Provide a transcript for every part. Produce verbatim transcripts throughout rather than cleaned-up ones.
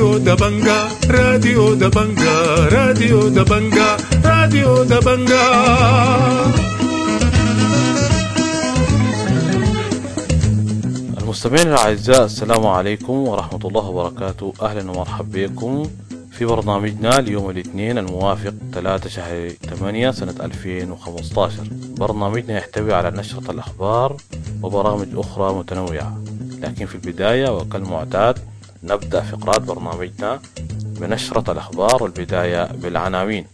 راديو دبنجا راديو دبنجا راديو دبنجا راديو دبنجا. المستمعين الأعزاء، السلام عليكم ورحمة الله وبركاته. أهلا ومرحبا بكم في برنامجنا اليوم الاثنين الموافق ثلاثة شهر ثمانية سنة ألفين وخمسة عشر. برنامجنا يحتوي على نشرة الأخبار وبرامج أخرى متنوعة، لكن في البداية وكالمعتاد نبدأ فقرات برنامجنا بنشرة الأخبار، والبداية بالعناوين.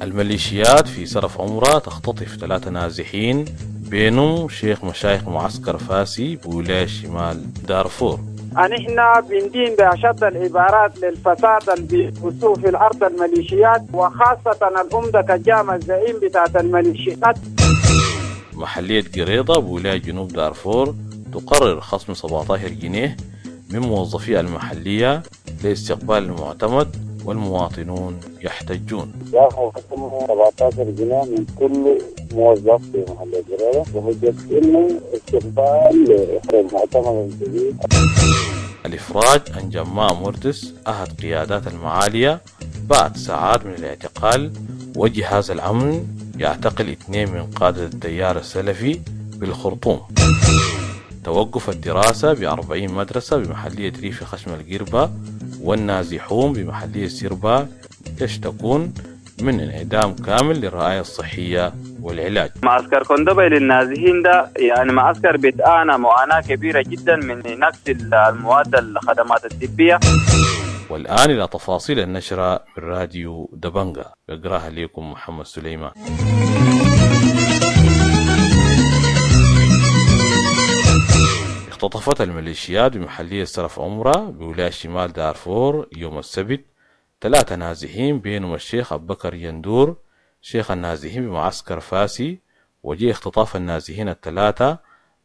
الميليشيات في سرف عمرة تختطف ثلاثة نازحين بينهم شيخ مشايخ معسكر فاسي بولاية شمال دارفور. نحن بندين بأشد العبارات للفساد اللي بيبثوه في الأرض الميليشيات، وخاصة الأمدة كجامع الزعيم بتاعت الميليشيات. محلية قريضة بولاية جنوب دارفور تقرر خصم سبعة عشر جنيه من موظفي المحلية لاستقبال المعتمد، والمواطنون يحتجون. سبعة عشر جنيه من كل موظف في محلية قريضة بحجة إنه استقبال المعتمد الجديد. الإفراج عن جماع مردس أحد قيادات المعالية بعد ساعات من الاعتقال، وجهاز الأمن يعتقل اثنين من قادة التيار السلفي بالخرطوم. توقف الدراسة بأربعين مدرسة بمحلية ريف خشم القربة، والنازحون بمحلية سيربا يشتكون من انعدام كامل للرعاية الصحية والعلاج. معسكر كوندبي للنازحين ده يعني معسكر بيتعانى معاناة كبيرة جدا من نقص المواد الخدمات الطبية. والآن إلى تفاصيل النشرة من راديو دبنجا، يقراها لكم محمد سليمان. اختطفت الميليشيات بمحلية سرف عمرة بولاية شمال دارفور يوم السبت ثلاثة نازحين بينهم الشيخ أبو بكر يندور شيخ النازحين بمعسكر فاسي، وجاء اختطاف النازحين الثلاثة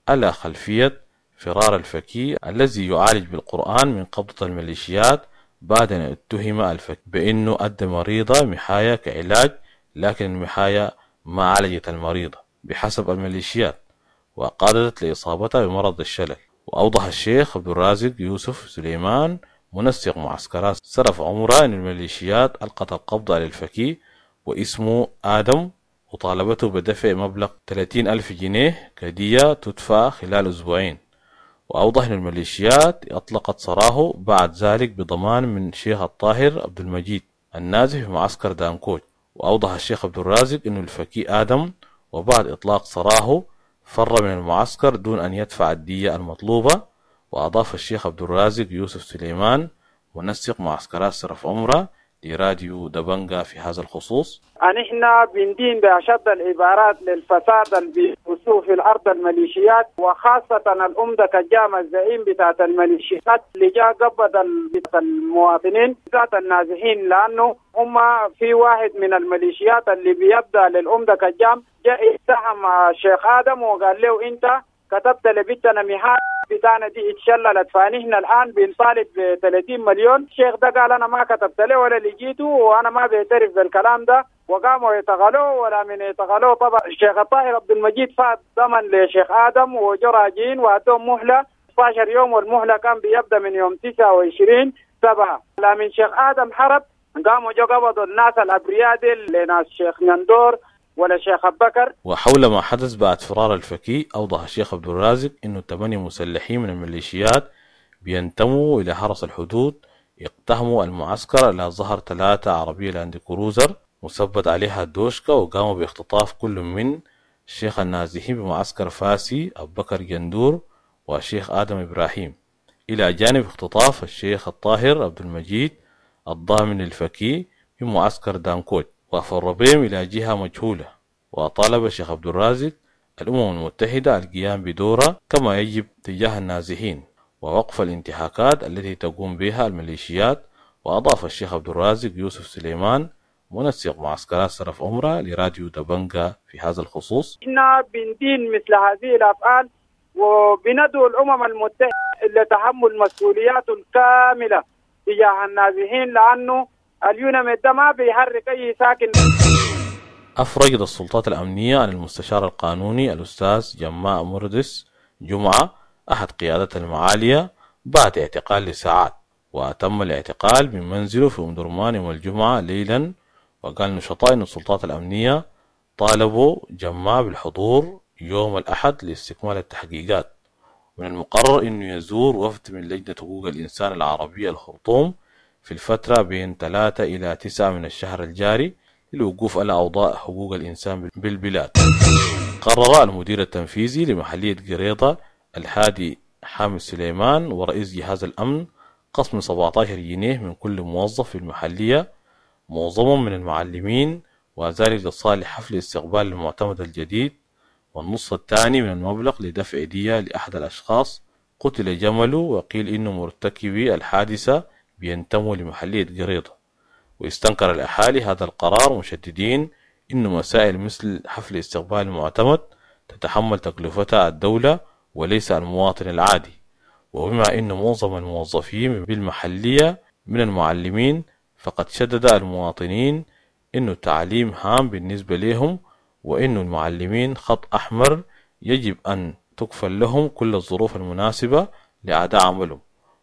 على خلفية فرار الفكي الذي يعالج بالقرآن من قبضة الميليشيات بعد أن اتهم الفكي بأنه أدى مريضة محاية كعلاج، لكن المحاية ما عالجت المريضة بحسب الميليشيات وقادت لإصابتها بمرض الشلل. وأوضح الشيخ عبد الرازق يوسف سليمان منسق معسكرات سرف عمرة أن الميليشيات ألقت القبض على الفكي واسمه آدم وطالبته بدفع مبلغ ثلاثين ألف جنيه كهدية تدفع خلال أسبوعين. وأوضح أن الميليشيات أطلقت سراحه بعد ذلك بضمان من شيخ الطاهر عبد المجيد النازح في معسكر دانكوج. وأوضح الشيخ عبد الرازق أن الفكي آدم وبعد إطلاق سراحه فر من المعسكر دون أن يدفع الدية المطلوبة. وأضاف الشيخ عبد الرازق يوسف سليمان منسق معسكرات سرف عمرة لراديو دبنجا في هذا الخصوص: نحن بندين بأشد العبارات للفساد اللي بيبثوه في الأرض الميليشيات، وخاصة الأمدة كجامع الزعيم بتاعت الميليشيات اللي جاء قبض المواطنين ذات النازحين، لأنه هم في واحد من الميليشيات اللي بيبدأ للأمدة كجام جاء اتهم الشيخ آدم وقال له أنت كتبت لبيتنا مهاد بتاعنا دي اتشللت، فنحن الآن بنطالب ب ثلاثين مليون. الشيخ ده قال أنا ما كتبت له ولا لقيته وأنا ما بعترف بالكلام ده، وقاموا يتغلوا ولا من يتغلوا. طبعا الشيخ الطاهر عبد المجيد فات ضمن لشيخ آدم وجراجين وأدوهم مهلة ستة عشر يوم، والمهلة كان بيبدأ من يوم تسعة وعشرين سبعة. لا من شيخ آدم حرب قاموا جو قبضوا الناس الأبرياء دي لناس شيخ نندور ولا شيخ أبو بكر. وحول ما حدث بعد فرار الفكي، أوضح الشيخ عبد الرازق إنه ثمانية مسلحين من الميليشيات بينتموا إلى حرس الحدود اقتحموا المعسكر على ظهر ثلاثة عربية لاند كروزر مثبت عليها الدوشكا، وقاموا باختطاف كل من الشيخ النازحين بمعسكر فاسي أبو بكر جندور والشيخ آدم إبراهيم، إلى جانب اختطاف الشيخ الطاهر عبد المجيد الضامن الفكي بمعسكر دانكوج، وأفر بهم إلى جهة مجهولة. وطالب الشيخ عبد الرازق الأمم المتحدة القيام بدورها كما يجب تجاه النازحين ووقف الانتهاكات التي تقوم بها الميليشيات. وأضاف الشيخ عبد الرازق يوسف سليمان منسق معسكرات سرف عمرة لراديو دبنجا في هذا الخصوص: إحنا بندين مثل هذه الأفعال وبندعو الأمم المتحدة لتحمل مسؤولياته الكاملة تجاه النازحين، لأنه اليوناميد ده ما بيحرك أي ساكن. أفرجت السلطات الأمنية عن المستشار القانوني الأستاذ جماع مردس جمعة أحد قيادات المعالية بعد اعتقال لساعات، وتم الاعتقال من منزله في أم درمان يوم الجمعة ليلا. وقال نشطاء أن السلطات الأمنية طالبوا جماع بالحضور يوم الأحد لاستكمال التحقيقات. ومن المقرر أنه يزور وفد من لجنة حقوق الإنسان العربية الخرطوم في الفترة بين ثلاثة إلى تسعة من الشهر الجاري للوقوف على أوضاع حقوق الإنسان بالبلاد. قرر المدير التنفيذي لمحلية قريضة الهادي حامد سليمان ورئيس جهاز الأمن قسم سبعة عشر جنيه من كل موظف في المحلية، معظمهم من المعلمين، وذلك لصالح حفل استقبال المعتمد الجديد، والنص الثاني من المبلغ لدفع دية لأحد الأشخاص قتل جمله، وقيل إنه مرتكبي الحادثة بينتموا لمحلية قريضة. واستنكر الأهالي هذا القرار مشددين إنه مسائل مثل حفل استقبال المعتمد تتحمل تكلفتها الدولة وليس المواطن العادي. وبما أن معظم الموظفين بالمحلية من المعلمين، فقد شدد المواطنين إنه التعليم هام بالنسبة لهم، وإنه المعلمين خط أحمر يجب أن تكفل لهم كل الظروف المناسبة لأداء عملهم.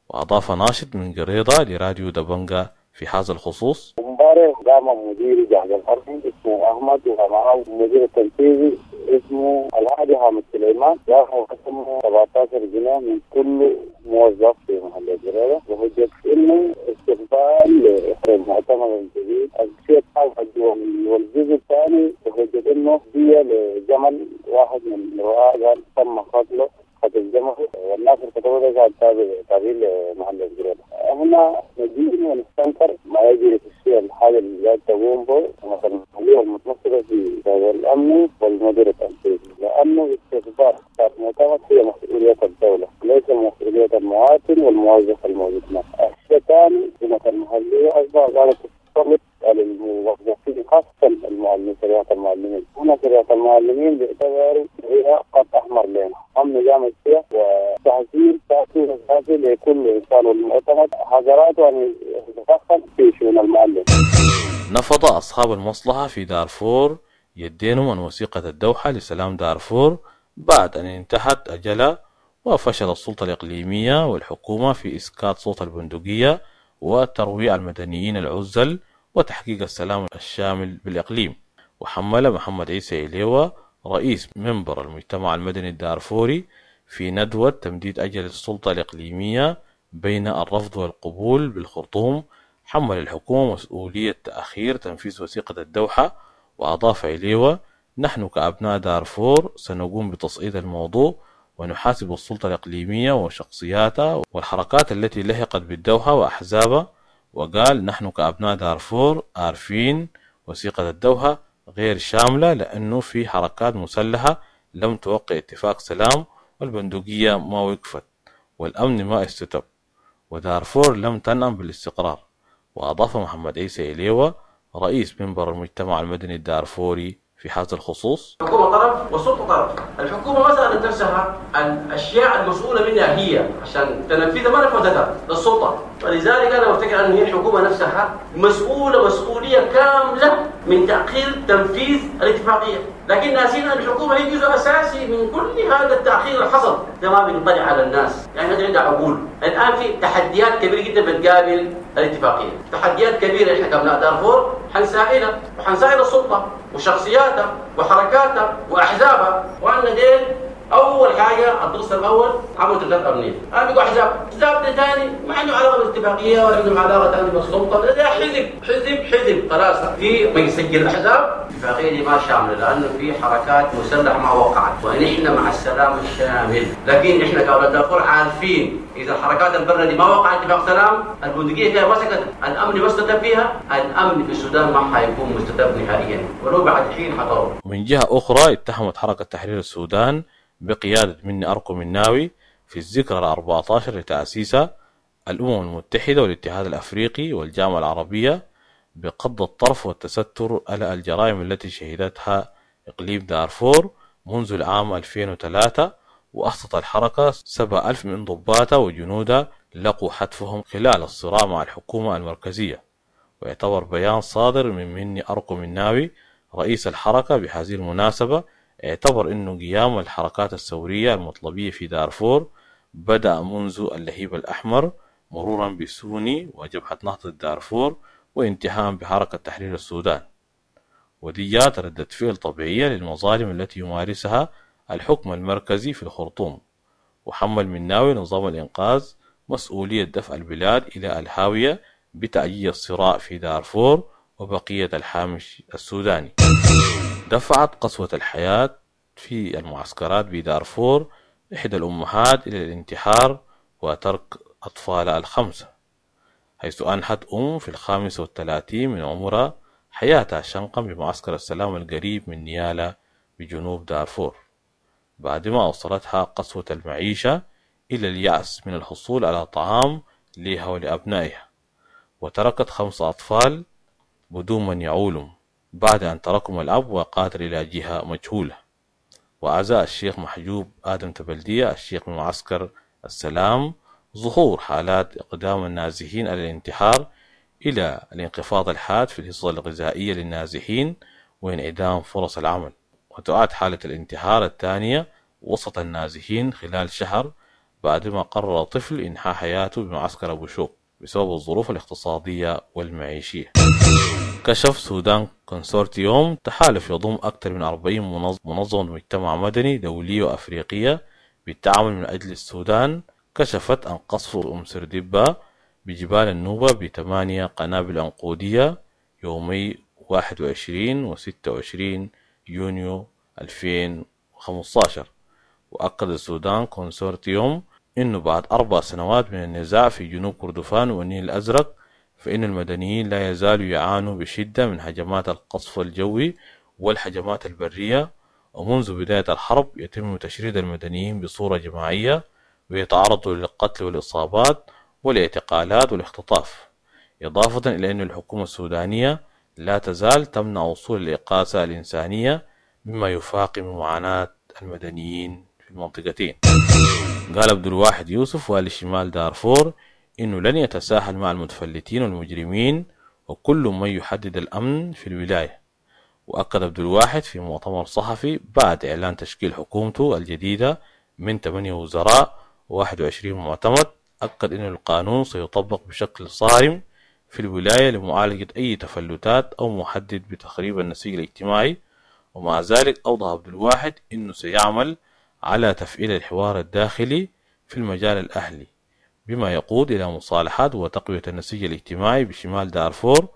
وأضاف ناشط من قريضة لراديو دبنجا في هذا الخصوص: امبارح قام مدير جهاز الأرض اسمه أحمد، ومعه المدير التنفيذي اسمه الهادي حامد سليمان، راحوا قسموا سبعة عشر جنيه من كل موظف في محل الجريدة، وحجة إنه استقبال المعتمد الجديد. الشيء والجزء الثاني بحجة إنه هي لجمل واحد من الرعاة تم قتله قتل جمل، والناس اللي كتبوا ده تابعين لمحل الجريدة. هنا ندين ونستنكر ما يجري في الشيء الحاجة اللي تقوم به مثلا المتمثلة في الأمن والمدير التنفيذي، لأنه استخبار المعتمد هي مسؤولية الدولة ليس مسؤولية المواطن والموظف الموجود هناك. الشيء الثاني في المحلية أصبح قالت تسلط على الموظفين خاصة المعلمين، شريعة المعلمين. هنا شريعة المعلمين باعتباره هي خط أحمر لنا، هم نظام الشيء وتحذير تأثير أساسي لكل إنسان، والمعتمد حذراته أن يتدخل في شؤون المعلم. نفض أصحاب المصلحة في دارفور يدينهم عن وثيقة الدوحة لسلام دارفور بعد أن انتهت أجلها، وفشل السلطة الإقليمية والحكومة في إسكات صوت البندقية وترويع المدنيين العزل وتحقيق السلام الشامل بالإقليم. وحمل محمد عيسى إليوة رئيس منبر المجتمع المدني الدارفوري في ندوة تمديد أجل السلطة الإقليمية بين الرفض والقبول بالخرطوم، حمل الحكومة مسؤولية تأخير تنفيذ وثيقة الدوحة. وأضاف إليوة: نحن كأبناء دارفور سنقوم بتصعيد الموضوع ونحاسب السلطة الإقليمية وشخصياتها والحركات التي لحقت بالدوحة وأحزابها. وقال: نحن كأبناء دارفور عارفين وثيقة الدوحة غير شاملة، لأنه في حركات مسلحة لم توقع اتفاق سلام، والبندقية ما وقفت، والأمن ما استتب، ودارفور لم تنعم بالاستقرار. وأضاف محمد عيسى إليوة رئيس منبر المجتمع المدني الدارفوري في هذا الخصوص: الحكومة طرف والسلطة طرف. الحكومة ما سألت نفسها الأشياء المسؤولة منها هي عشان تنفذها، ما نفذتها للسلطة. ولذلك أنا بفتكر أن هي الحكومة نفسها مسؤولة مسؤولية كاملة من تأخير تنفيذ الاتفاقية، لكن ناسين أن الحكومة هي جزء أساسي من كل هذا التأخير اللي حصل. ده ما بينطلع على الناس، يعني هذا عندها عقول. الآن في تحديات كبيرة جدا بتقابل الاتفاقية، تحديات كبيرة. إحنا كأبناء دارفور حنسائلها وحنسائل السلطة وشخصياتها وحركاتها وأحزابها، وأن ديل أول حاجة الدرس الأول عملوا ترتيبات أمنية، الآن بيقوا أحزاب، أحزاب ثاني ما عنده علاقة بالاتفاقية ولا عنده علاقة ثانية بالسلطة، ده حزب حزب حزب خلاص في ما يسجل أحزاب. الاتفاقية دي ما شاملة لأنه في حركات مسلحة ما وقعت، ونحن مع السلام الشامل، لكن إحنا كأولاد دارفور عارفين إذا الحركات البرة دي ما وقعت اتفاق سلام، البندقية فيها مسكت، الأمن مستتب فيها، الأمن في السودان ما حيكون مستتب نهائيا ولو بعد حين حطروا. من جهة أخرى اتهمت حركة تحرير السودان بقيادة مني أركو مناوي في الذكرى الأربعة عشر لتأسيسها الأمم المتحدة والاتحاد الأفريقي والجامعة العربية بقض الطرف والتستر على الجرائم التي شهدتها إقليم دارفور منذ العام ألفين وثلاثة. وأحصت الحركة سبعة ألف من ضباطها وجنودها لقوا حتفهم خلال الصراع مع الحكومة المركزية. ويعتبر بيان صادر من مني أركو مناوي رئيس الحركة بهذه المناسبة اعتبر أنه قيام الحركات الثورية المطلبية في دارفور بدأ منذ اللهيب الأحمر مرورا بسوني وجبهة نهضة دارفور وانتهاء بحركة تحرير السودان، ودي جات ردة فعل طبيعية للمظالم التي يمارسها الحكم المركزي في الخرطوم. وحمل مناوي نظام الإنقاذ مسؤولية دفع البلاد إلى الهاوية بتأجيج الصراع في دارفور وبقية الحامش السوداني. دفعت قسوة الحياة في المعسكرات بدارفور إحدى الأمهات إلى الانتحار وترك أطفالها الخمسة، حيث أنهت أم في الخامسة والثلاثين من عمرها حياتها شنقا بمعسكر السلام القريب من نيالا بجنوب دارفور، بعدما أوصلتها قسوة المعيشة إلى اليأس من الحصول على طعام لها ولأبنائها، وتركت خمس أطفال بدون من يعولهم بعد أن تركهم الأب وقاتل إلى جهة مجهولة. وعزاء الشيخ محجوب آدم تبلدية الشيخ من معسكر السلام ظهور حالات إقدام النازحين على الانتحار إلى الانخفاض الحاد في الحصة الغذائية للنازحين وانعدام فرص العمل، وتعاد حالة الانتحار الثانية وسط النازحين خلال شهر بعدما قرر طفل إنهاء حياته بمعسكر أبو شوك بسبب الظروف الاقتصادية والمعيشية. كشف سودان كونسورتيوم تحالف يضم أكثر من أربعين منظمة مجتمع مدني دولية وأفريقية بالتعاون من أجل السودان، كشفت عن قصف أم سردبة بجبال النوبة بثمانية قنابل عنقودية يومي واحد وعشرين وستة وعشرين يونيو ألفين وخمسة عشر. وأكد السودان كونسورتيوم إنه بعد أربع سنوات من النزاع في جنوب كردفان والنيل الأزرق فإن المدنيين لا يزالوا يعانوا بشدة من هجمات القصف الجوي والهجمات البرية، ومنذ بداية الحرب يتم تشريد المدنيين بصورة جماعية ويتعرضوا للقتل والإصابات والاعتقالات والاختطاف، إضافة إلى أن الحكومة السودانية لا تزال تمنع وصول الإغاثة الإنسانية مما يفاقم معاناة المدنيين في المنطقتين. قال عبد الواحد يوسف والي شمال دارفور إنه لن يتساهل مع المتفلتين والمجرمين وكل من يحدد الأمن في الولاية. وأكد عبد الواحد في مؤتمر صحفي بعد إعلان تشكيل حكومته الجديدة من ثمانية وزراء وواحد وعشرين معتمد، أكد أن القانون سيطبق بشكل صارم في الولاية لمعالجة أي تفلتات أو محدد بتخريب النسيج الاجتماعي. ومع ذلك أوضح عبد الواحد أنه سيعمل على تفعيل الحوار الداخلي في المجال الأهلي بما يقود إلى مصالحات وتقوية النسيج الاجتماعي بشمال دارفور.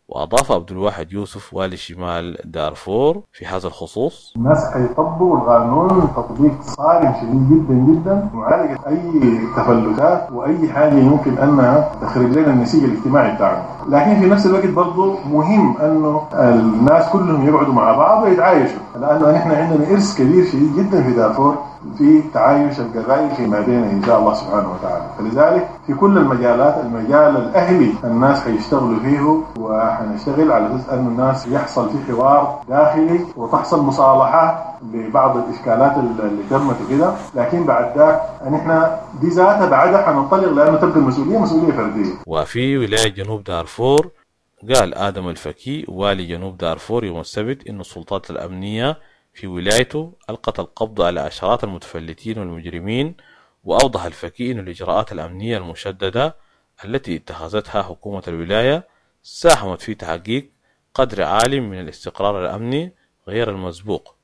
وأضاف عبد الواحد يوسف والي شمال دارفور في هذا الخصوص: الناس حيطبقوا القانون تطبيق صارم شديد جدا جدا، معالجة أي تفلتات وأي حاجة يمكن أنها تخرب لنا النسيج الاجتماعي بتاعنا. لكن في نفس الوقت برضه مهم أنه الناس كلهم يقعدوا مع بعض ويتعايشوا، لأنه نحن عندنا إرث كبير شديد جدا في دارفور في تعايش القبائل فيما بيننا إن شاء الله سبحانه وتعالى. فلذلك في كل المجالات، المجال الأهلي الناس حيشتغلوا فيه، وحنشتغل على أساس أن الناس يحصل في حوار داخلي وتحصل مصالحة لبعض الإشكالات اللي تمت وكده. لكن بعد ذاك نحن دي ذاتها بعدها حننطلق، لأنه تبقى المسؤولية مسؤولية فردية. وفي ولاية جنوب دارفور قال آدم الفكي والي جنوب دارفور يوم السبت إن السلطات الأمنية في ولايته ألقت القبض على عشرات المتفلتين والمجرمين. وأوضح الفكي أن الإجراءات الأمنية المشددة التي اتخذتها حكومة الولاية ساهمت في تحقيق قدر عال من الاستقرار الأمني غير المسبوق.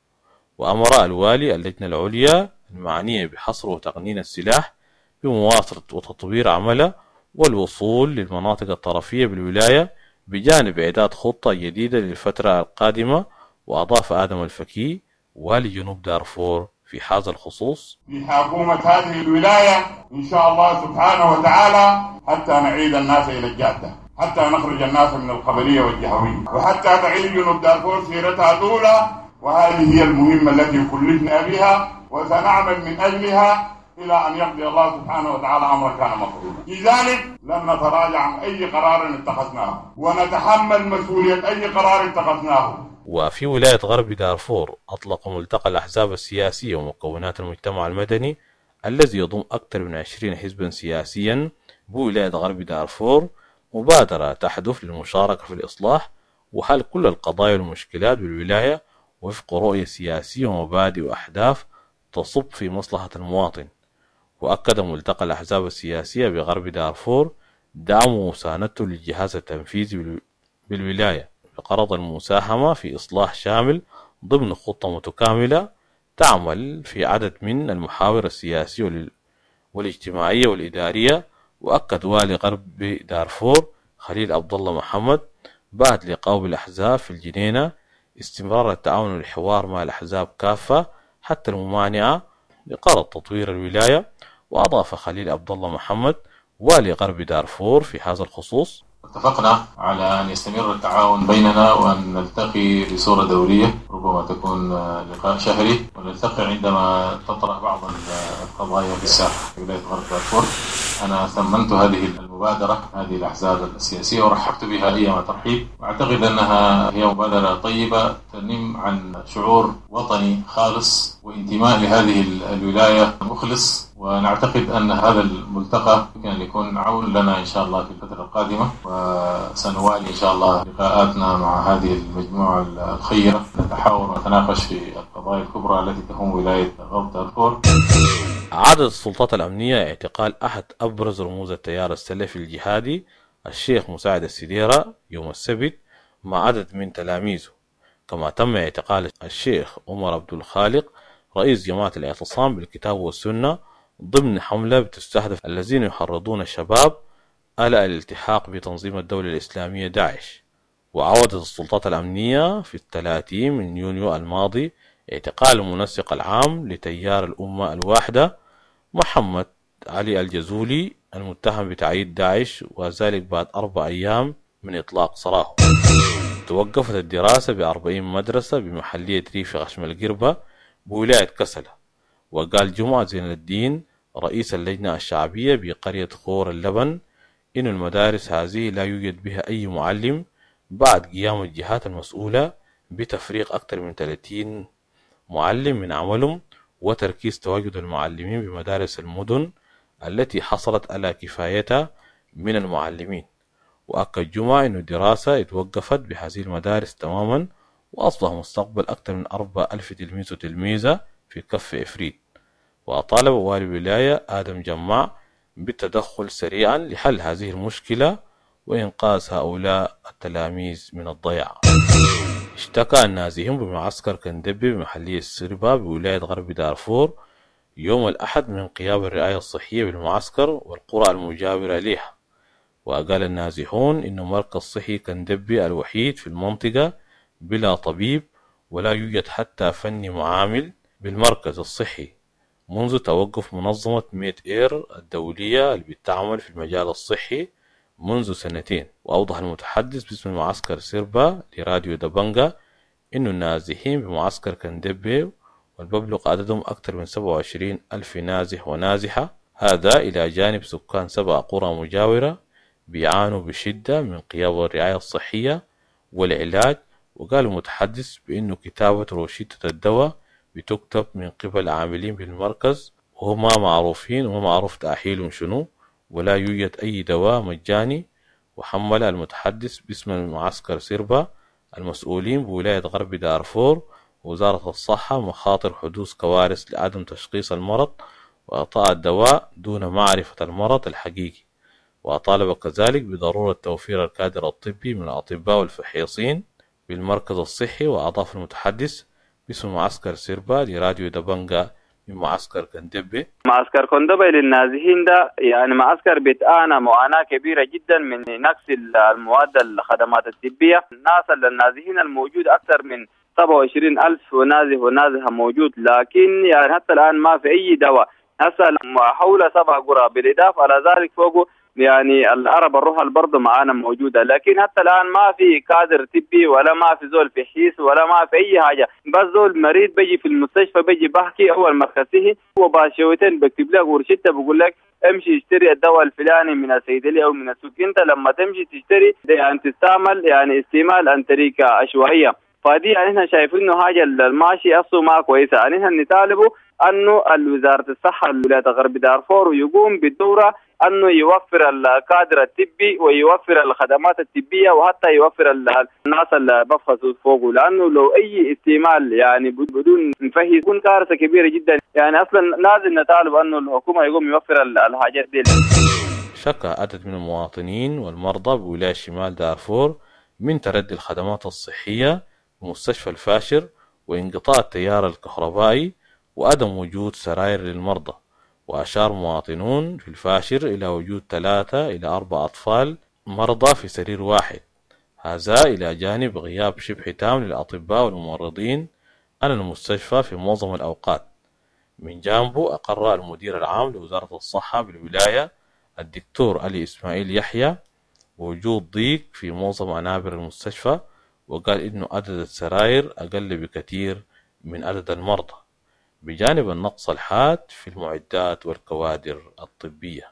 وأمر الوالي اللجنة العليا المعنية بحصر وتقنين السلاح بمواصلة وتطوير عمله والوصول للمناطق الطرفية بالولاية بجانب إعداد خطة جديدة للفترة القادمة. وأضاف آدم الفكي والي جنوب دارفور في هذا الخصوص: في حكومة هذه الولاية إن شاء الله سبحانه وتعالى حتى نعيد الناس إلى الجادة، حتى نخرج الناس من القبلية والجهوية، وحتى تعيد جنوب دارفور سيرتها الأولى. وهذه هي المهمة التي كلفنا بها وسنعمل من أجلها إلى أن يقضي الله سبحانه وتعالى أمرا كان مفعولا. لذلك لن نتراجع عن أي قرار اتخذناه ونتحمل مسؤولية أي قرار اتخذناه. وفي ولاية غرب دارفور أطلق ملتقى الأحزاب السياسية ومكونات المجتمع المدني الذي يضم أكثر من عشرين حزبا سياسيا بولاية غرب دارفور مبادرة تهدف للمشاركة في الإصلاح وحل كل القضايا والمشكلات بالولاية وفق رؤية سياسية ومبادئ وأهداف تصب في مصلحة المواطن. وأكد ملتقى الأحزاب السياسية بغرب دارفور دعمه ومساندته للجهاز التنفيذي بالولاية بغرض المساهمة في إصلاح شامل ضمن خطة متكاملة تعمل في عدد من المحاور السياسية والاجتماعية والإدارية. وأكد والي غرب دارفور خليل عبد الله محمد بعد لقائه بالأحزاب في الجنينة استمرار التعاون والحوار مع الأحزاب كافة حتى الممانعة بغرض تطوير الولاية. وأضاف خليل عبد الله محمد والي غرب دارفور في هذا الخصوص: اتفقنا على أن يستمر التعاون بيننا وأن نلتقي بصورة دورية، ربما تكون لقاء شهري، ونلتقي عندما تطرح بعض القضايا في الساحة في ولاية غرب دارفور. أنا ثمنت هذه المبادرة، هذه الأحزاب السياسية، ورحبت بها أيما ترحيب، وأعتقد أنها هي مبادرة طيبة تنم عن شعور وطني خالص وانتماء لهذه الولاية مخلص، ونعتقد أن هذا الملتقى يمكن أن يكون عون لنا إن شاء الله في الفترة القادمة، وسنوالي إن شاء الله لقاءاتنا مع هذه المجموعة الخيرة، نتحاور ونتناقش في القضايا الكبرى التي تهم ولاية غرب دارفور. عادت السلطات الأمنية اعتقال أحد أبرز رموز التيار السلفي الجهادي الشيخ مساعد السديرة يوم السبت مع عدد من تلاميذه، كما تم اعتقال الشيخ عمر عبد الخالق رئيس جماعة الاعتصام بالكتاب والسنة ضمن حملة بتستهدف الذين يحرضون الشباب على الالتحاق بتنظيم الدولة الإسلامية داعش. وعودت السلطات الأمنية في الثلاثين من يونيو الماضي اعتقال المنسق العام لتيار الأمة الواحدة محمد علي الجزولي المتهم بتعيين داعش، وذلك بعد أربع أيام من إطلاق سراحه. توقفت الدراسة بأربعين مدرسة بمحلية ريف غشم القربة بولاية كسلة. وقال جمعة زين الدين رئيس اللجنة الشعبية بقرية خور اللبن إن المدارس هذه لا يوجد بها أي معلم بعد قيام الجهات المسؤولة بتفريغ أكثر من ثلاثين معلم من عملهم وتركيز تواجد المعلمين بمدارس المدن التي حصلت على كفايتها من المعلمين. وأكد جمعة أن الدراسة اتوقفت بهذه المدارس تماما، وأصبح مستقبل أكثر من أربعة ألف تلميذ وتلميذة في كف إفريد. وطالب والي الولاية آدم جماع بالتدخل سريعا لحل هذه المشكلة وإنقاذ هؤلاء التلاميذ من الضياع. اشتكى النازحون بمعسكر كندبي بمحلية السربة بولاية غرب دارفور يوم الأحد من قيام الرعاية الصحية بالمعسكر والقرى المجاورة لها. وقال النازحون إن مركز صحي كندبي الوحيد في المنطقة بلا طبيب، ولا يوجد حتى فني معامل بالمركز الصحي منذ توقف منظمة ميت إير الدولية اللي بتعمل في المجال الصحي منذ سنتين. وأوضح المتحدث باسم المعسكر سيربا لراديو دبنجا إنه النازحين بمعسكر كندبي والببلغ عددهم أكثر من سبعة وعشرين ألف نازح ونازحة، هذا إلى جانب سكان سبع قرى مجاورة بيعانوا بشدة من غياب الرعاية الصحية والعلاج. وقال المتحدث بأنه كتابة روشتة الدواء بتكتب من قبل عاملين بالمركز وهما معروفين وما معروف تأهيلهم شنو، ولا يوجد أي دواء مجاني. وحمل المتحدث باسم المعسكر سيربا المسؤولين بولاية غرب دارفور ووزارة الصحة مخاطر حدوث كوارث لعدم تشخيص المرض وإعطاء الدواء دون معرفة المرض الحقيقي. وطالب كذلك بضرورة توفير الكادر الطبي من الأطباء والفحيصين بالمركز الصحي. وأضاف المتحدث باسم معسكر سيربا لراديو دبنجا من معسكر كندبي: معسكر كندبي للنازحين ده يعني معسكر بيتعانى معاناة كبيرة جدا من نقص المواد الخدمات الطبية. الناس النازحين الموجود أكثر من سبعة وعشرين ألف نازح ونازحة موجود، لكن يعني حتى الآن ما في أي دواء. هسه حول سبع قرى، بالإضافة على ذلك فوقه يعني العرب الرحل برضه معانا موجودة، لكن حتى الآن ما في كادر طبي ولا ما في زول في حيس ولا ما في أي حاجة. بس زول مريض بيجي في المستشفى بيجي بحكي أول مركزه وباشوتين بكتب لك ورشته بقول لك امشي اشتري الدواء الفلاني من الصيدلية أو من السوق. أنت لما تمشي تشتري يعني تستعمل يعني استعمال عن طريقة عشوائية. فدي يعني احنا شايفين انه حاجة الماشي اصله ما كويسة. يعني احنا نطالبه انه وزارة الصحة الولاية غرب دارفور يقوم بالدوره انه يوفر الكادر الطبي ويوفر الخدمات الطبية وحتى يوفر الناس اللي بفحصوا فوقه، لانه لو اي استعمال يعني بدون نفهي يكون كارثة كبيرة جدا. يعني اصلا لازم نطالب انه الحكومة يقوم يوفر الحاجات دي. شكى عدد من المواطنين والمرضى بولاية شمال دارفور من تردي الخدمات الصحية بمستشفى الفاشر وانقطاع التيار الكهربائي وعدم وجود سراير للمرضى. وأشار مواطنون في الفاشر إلى وجود ثلاثة إلى أربع أطفال مرضى في سرير واحد، هذا إلى جانب غياب شبه تام للأطباء والممرضين عن المستشفى في معظم الأوقات. من جانبه أقر المدير العام لوزارة الصحة بالولاية الدكتور علي إسماعيل يحيى وجود ضيق في معظم عنابر المستشفى، وقال إنه عدد السراير أقل بكثير من عدد المرضى، بجانب النقص الحاد في المعدات والكوادر الطبية.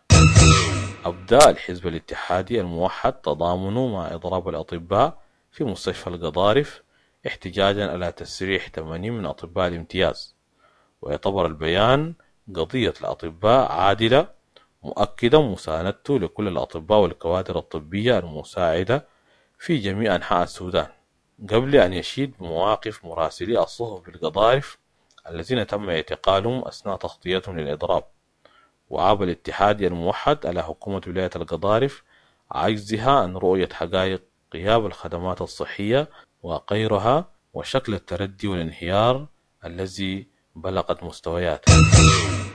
أبدى الحزب الاتحادي الموحد تضامنه مع إضراب الأطباء في مستشفى القضارف احتجاجا على تسريح ثمانين من أطباء الامتياز، ويعتبر البيان قضية الأطباء عادلة، مؤكدا مساندته لكل الأطباء والكوادر الطبية المساعدة في جميع أنحاء السودان، قبل أن يشيد بمواقف مراسلي الصحف بالقضارف الذين تم اعتقالهم أثناء تغطيتهم للإضراب. وعاب الاتحاد الموحد على حكومة ولاية القضارف عجزها عن رؤية حقائق غياب الخدمات الصحية وغيرها وشكل التردي والانهيار الذي بلغت مستوياته.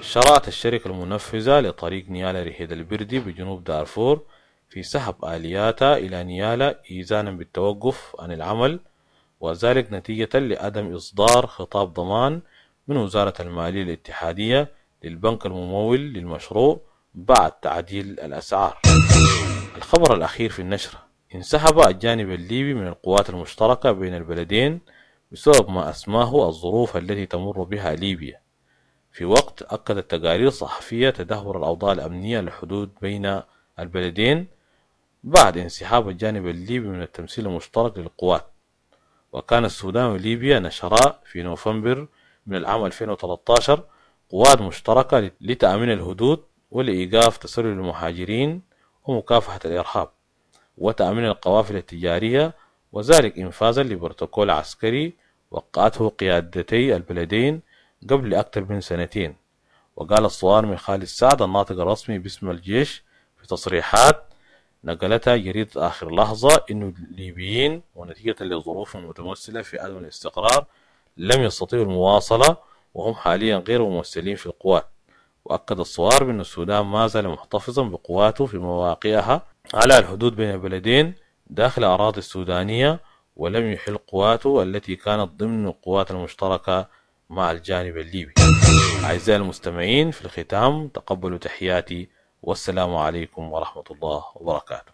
شرعت الشركة المنفذة لطريق نيالا رهيد البردي بجنوب دارفور في سحب آلياتها إلى نيالا إيذانا بالتوقف عن العمل، وذلك نتيجة لعدم إصدار خطاب ضمان من وزارة المالية الاتحادية للبنك الممول للمشروع بعد تعديل الأسعار. الخبر الأخير في النشرة: انسحب الجانب الليبي من القوات المشتركة بين البلدين بسبب ما أسماه الظروف التي تمر بها ليبيا، في وقت أكدت تقارير صحفية تدهور الأوضاع الأمنية للحدود بين البلدين بعد انسحاب الجانب الليبي من التمثيل المشترك للقوات. وكان السودان وليبيا نشرا في نوفمبر من العام ألفين وثلاثة عشر قوات مشتركة لتأمين الحدود ولإيقاف تسلل المهاجرين ومكافحة الإرهاب وتأمين القوافل التجارية، وذلك إنفاذا لبروتوكول عسكري وقعته قيادتي البلدين قبل أكثر من سنتين. وقال الصوارمي خالد سعد الناطق الرسمي باسم الجيش في تصريحات نقلتها جريدة آخر لحظة إنه الليبيين ونتيجة لظروف متمثلة في عدم الاستقرار لم يستطيعوا المواصلة وهم حاليا غير ممثلين في القوات. وأكد الصوارمي أن السودان ما زال محتفظا بقواته في مواقعها على الحدود بين البلدين داخل الأراضي السودانية، ولم يحل قواته التي كانت ضمن القوات المشتركة مع الجانب الليبي. أعزائي المستمعين، في الختام تقبلوا تحياتي، والسلام عليكم ورحمة الله وبركاته.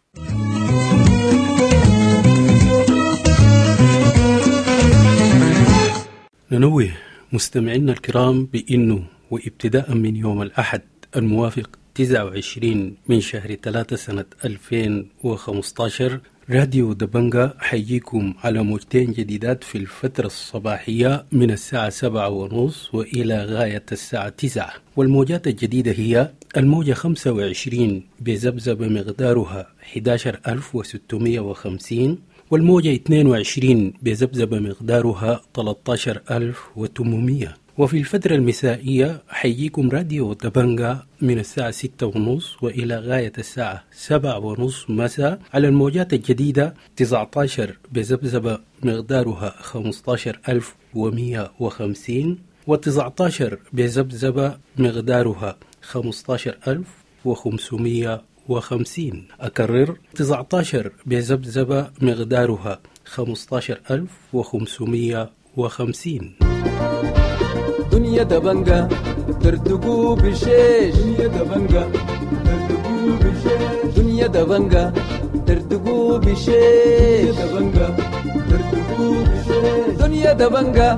ننوه مستمعينا الكرام بأنه وابتداء من يوم الأحد الموافق تسعة وعشرين من شهر ثلاثة سنة ألفين وخمسة عشر راديو دبنجا حيجيكم على موجتين جديدات في الفترة الصباحية من الساعة سبعة ونص وإلى غاية الساعة تسعة، والموجات الجديدة هي الموجة خمسة وعشرين بذبذبة مقدارها أحد عشر ألف وستمائة وخمسين، والموجة اثنين وعشرين بذبذبة مقدارها ثلاثة عشر ألف وثمانمائة. وفي الفترة المسائية حيجيكم راديو دبنجا من الساعة ستة ونص وإلى غاية الساعة سبعة ونص مساء على الموجات الجديدة تسعة عشر بذبذبة مقدارها خمسة عشر ألف ومئة وخمسين، وتسعة عشر بذبذبة مقدارها خمسة عشر ألف وخمسمائة وخمسين. أكرر، تسعة عشر بذبذبة مقدارها خمسة عشر ألف وخمسمائة وخمسين. دنيا دبنجا تردقو بشيش، دنيا دبنجا تردقو بشيش، دنيا دبنجا تردقو بشيش، دبنجا تردقو بشيش، دنيا دبنجا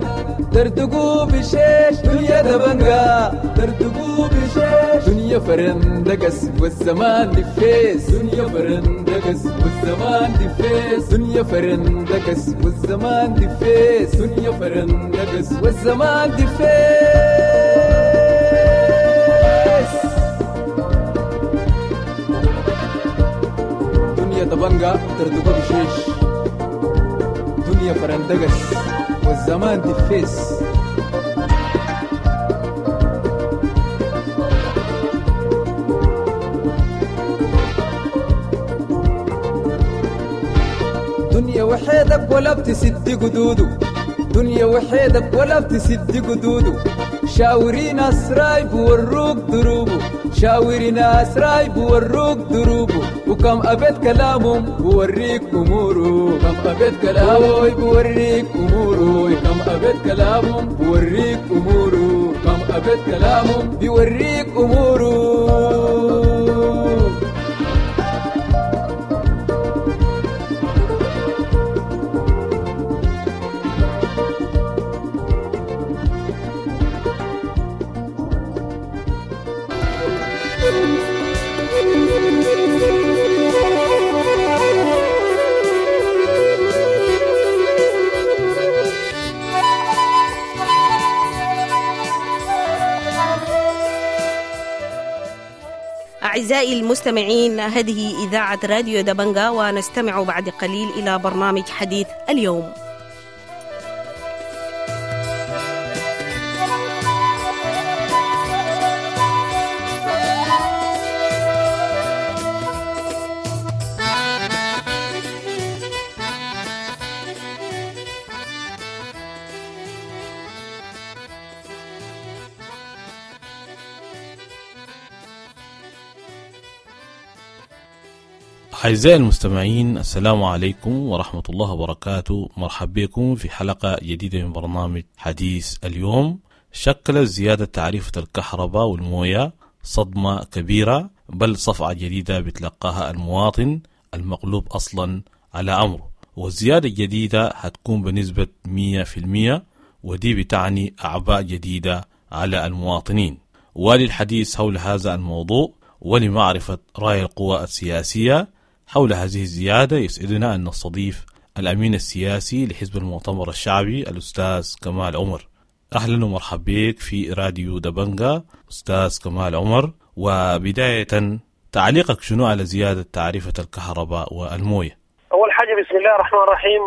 تردقو بشيش، دنيا دبنجا تردقو بشيش، دنيا فرندقس والزمان دفيس، دنيا فرندقس والزمان دفيس، دنيا فرندقس والزمان دفيس، دنيا فرندقس والزمان دفيس. دبنجة تردقو بشيش، دنيا فرندقس والزمان دفيس. دنيا وحيدك ولا بتسد قدوده، دنيا وحيدك ولا بتسد قدوده، شاوري ناس رايب وروك دروبه، شاوري ناس رايب وروك دروبه، وكم أبيت كلامهم بوريك أموره، كم أبيت كلامه بوريك أموره، كم أبيت كلامهم بوريك أموره، كم أبيت كلامهم بوريك أموره. أعزائي المستمعين، هذه إذاعة راديو دبنجا، ونستمع بعد قليل إلى برنامج حديث اليوم. أعزائي المستمعين، السلام عليكم ورحمة الله وبركاته. مرحبا بكم في حلقة جديدة من برنامج حديث اليوم. شكل زيادة تعريفة الكهرباء والموية صدمة كبيرة، بل صفعة جديدة بتلقاها المواطن المقلوب أصلا على أمره. والزيادة الجديدة هتكون بنسبة مية في المية، ودي بتعني أعباء جديدة على المواطنين. وللحديث حول هذا الموضوع ولمعرفة رأي القوى السياسية حول هذه الزيادة يسعدنا أن نستضيف الأمين السياسي لحزب المؤتمر الشعبي الأستاذ كمال عمر. أهلا ومرحبا بك في راديو دبنجا أستاذ كمال عمر. وبداية، تعليقك شنو على زيادة تعريفة الكهرباء والموية؟ أول حاجة بسم الله الرحمن الرحيم،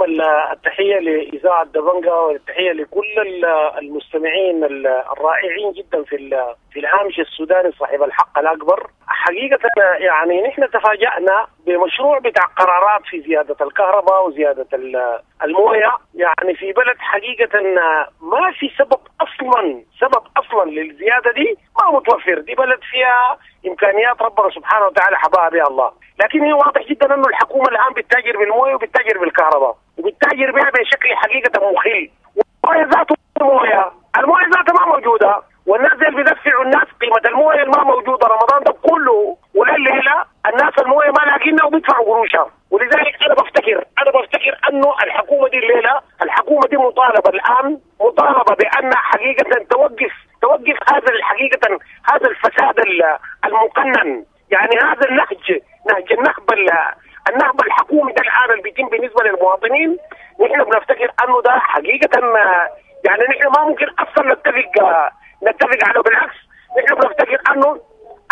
التحية لإذاعة دبنجا والتحية لكل المستمعين الرائعين جدا في في الهامش السوداني صاحب الحق الأكبر. حقيقة يعني نحن تفاجأنا بمشروع بتاع قرارات في زيادة الكهرباء وزيادة الموية، يعني في بلد حقيقة ما في سبب أصلا سبب أصلا للزيادة دي ما متوفر. دي بلد فيها إمكانيات ربنا سبحانه وتعالى حباها بها الله، لكن هي واضح جدا أنه الحكومة الآن بتتاجر بالموية وبتتاجر بالكهرباء وبتتاجر بها بشكل حقيقة مخل. والموية ذاته الموية الموية ذاتها ما موجودة، والناس اللي بيدفعوا الناس قيمة الموية ما موجودة رمضان ده كله ولليلة الناس الموية ما لاقينها وبيدفعوا قروشها. ولذلك أنا بفتكر أنا بفتكر أنه الحكومة دي الليلة الحكومة دي مطالبة الآن مطالبة بأن حقيقة توقف توقف هذا الحقيقة هذا الفساد المقنن، يعني هذا النهج نهج النهب النهب الحكومي ده الآن اللي بيتم بالنسبة للمواطنين. نحن بنفتكر أنه ده حقيقة يعني نحن ما ممكن أصلا نتفق نتفق عليه، بالعكس نحن بنفتكر أنه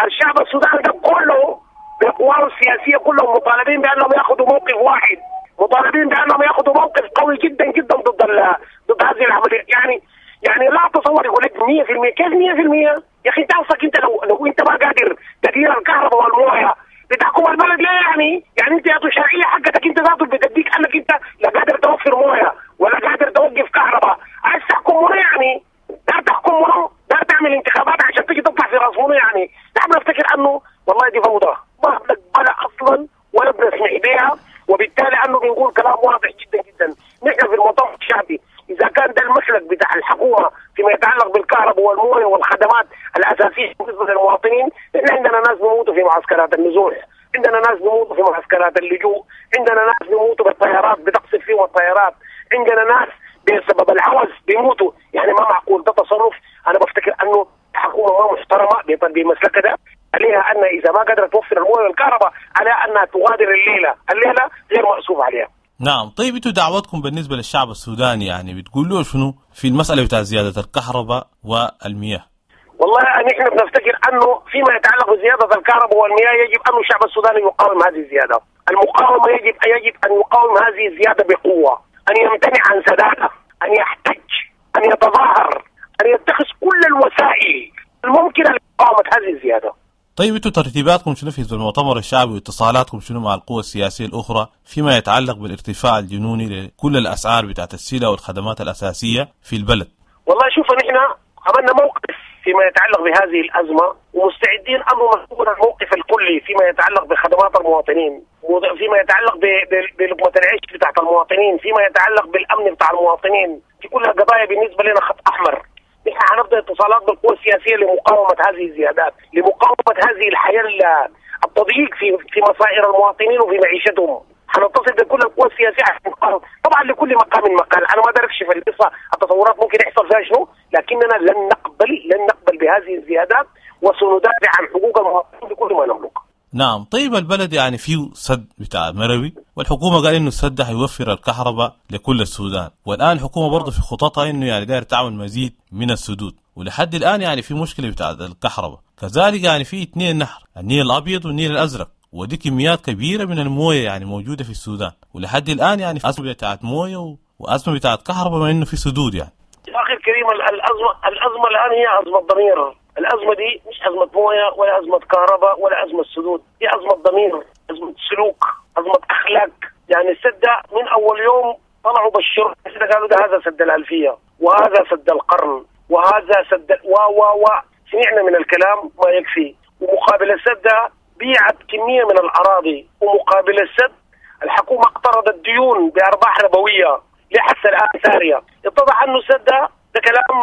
الشعب السوداني ده كله بقواه السياسية كلهم مطالبين بأنهم يأخذوا موقف واحد، مطالبين بأنهم يأخذوا موقف قوي جدا جدا ضد ضد هذه العملية. يعني يعني لا تصور يقول لك مية في المية، كيف مية في المية؟ يا أخي أنت أصلك أنت لو لو أنت ما قادر تدير الكهرباء والموية بتحكم البلد ليه؟ يعني يعني أنت يا شرعية حقتك أنت ذاته بتديك أنك أنت لا قادر توفر موية ولا قادر توقف كهرباء، عايز تحكم منو يعني؟ دار تحكم منو؟ دار تعمل انتخابات عشان تيجي تطلع في راس منو يعني؟ نحن بنفتكر أنه والله دي فوضى ما بنقبلها أصلا ولا بنسمع بها، وبالتالي أنه بنقول كلام واضح جدا جدا. نحن في المؤتمر الشعبي إذا كان ده المسلك بتاع الحكومة فيما يتعلق بالكهرباء والمويه والخدمات الأساسية بالنسبة للمواطنين، نحن عندنا ناس بيموتوا في معسكرات النزوح، عندنا ناس بيموتوا في معسكرات اللجوء، عندنا ناس بيموتوا بالطيارات بتقصف فيهم الطيارات، عندنا ناس بسبب العوز بيموتوا. يعني ما معقول ده تصرف. أنا بفتكر أنه الحكومة ما محترمة بمسلكها ده، عليها أن إذا ما قدرت توفر المويه والكهرباء عليها أنها تغادر الليلة، الليلة غير مأسوف عليها. نعم، طيب انتوا دعوتكم بالنسبة للشعب السوداني يعني بتقولوا شنو في المسألة بتاع زيادة الكهرباء والمياه؟ والله نحن بنفتكر انه فيما يتعلق بزيادة الكهرباء والمياه يجب ان الشعب السوداني يقاوم هذه الزيادة. المقاومة يجب يجب ان يقاوم هذه الزيادة بقوة، ان يمتنع عن سدادها، ان يحتج، ان يتظاهر، ان يتخذ كل الوسائل الممكنة لمقاومة هذه الزيادة. طيب انتم ترتيباتكم شنو في المؤتمر الشعبي واتصالاتكم شنو مع القوى السياسية الاخرى فيما يتعلق بالارتفاع الجنوني لكل الاسعار بتاعت السلع والخدمات الاساسية في البلد؟ والله شوف، نحن عملنا موقف فيما يتعلق بهذه الازمة، ومستعدين ان نكون الموقف الكلي فيما يتعلق بخدمات المواطنين، فيما يتعلق بلقمه العيش بتاعت المواطنين، فيما يتعلق بالامن بتاع المواطنين، دي كلها قضايا بالنسبة لنا خط احمر. نحن حنبدا اتصالات بالقوى السياسية لمقاومة هذه الزيادات، لمقاومة هذه الحياة التضييق في في مصائر المواطنين وفي معيشتهم. حنتصل بكل القوى السياسية عشان نقاوم، طبعا لكل مقام مقال، انا ما ادركش في القصة التصورات ممكن يحصل فيها شنو، لكننا لن نقبل لن نقبل بهذه الزيادات وسندافع عن حقوق المواطنين بكل ما نملك. نعم، طيب البلد يعني فيه سد بتاع مروي، والحكومة قال إنه السد حيوفر الكهرباء لكل السودان، والآن الحكومة برضه في خططها إنه يعني داير تعمل مزيد من السدود، ولحد الآن يعني في مشكلة بتاع الكهرباء، كذلك يعني في اثنين نهر، النيل الأبيض والنيل الأزرق، ودي كميات كبيرة من الموية يعني موجودة في السودان، ولحد الآن يعني أزمة بتاعت موية و... وأزمة بتاعت كهرباء مع إنه في سدود يعني. يا أخي الكريم، الأزمة الأزمة الآن هي أزمة ضمير. الأزمة دي مش أزمة موية ولا أزمة كهرباء ولا أزمة سدود، دي أزمة ضمير، أزمة سلوك، أزمة أخلاق. يعني السد من أول يوم طلعوا بشروا قالوا ده هذا سد الألفية وهذا سد القرن وهذا سد و و و سمعنا من الكلام ما يكفي. ومقابل السد بيعت كمية من الأراضي، ومقابل السد الحكومة اقترضت ديون بأرباح ربوية لحتى الآن سارية. اتضح أنه السد ده كلام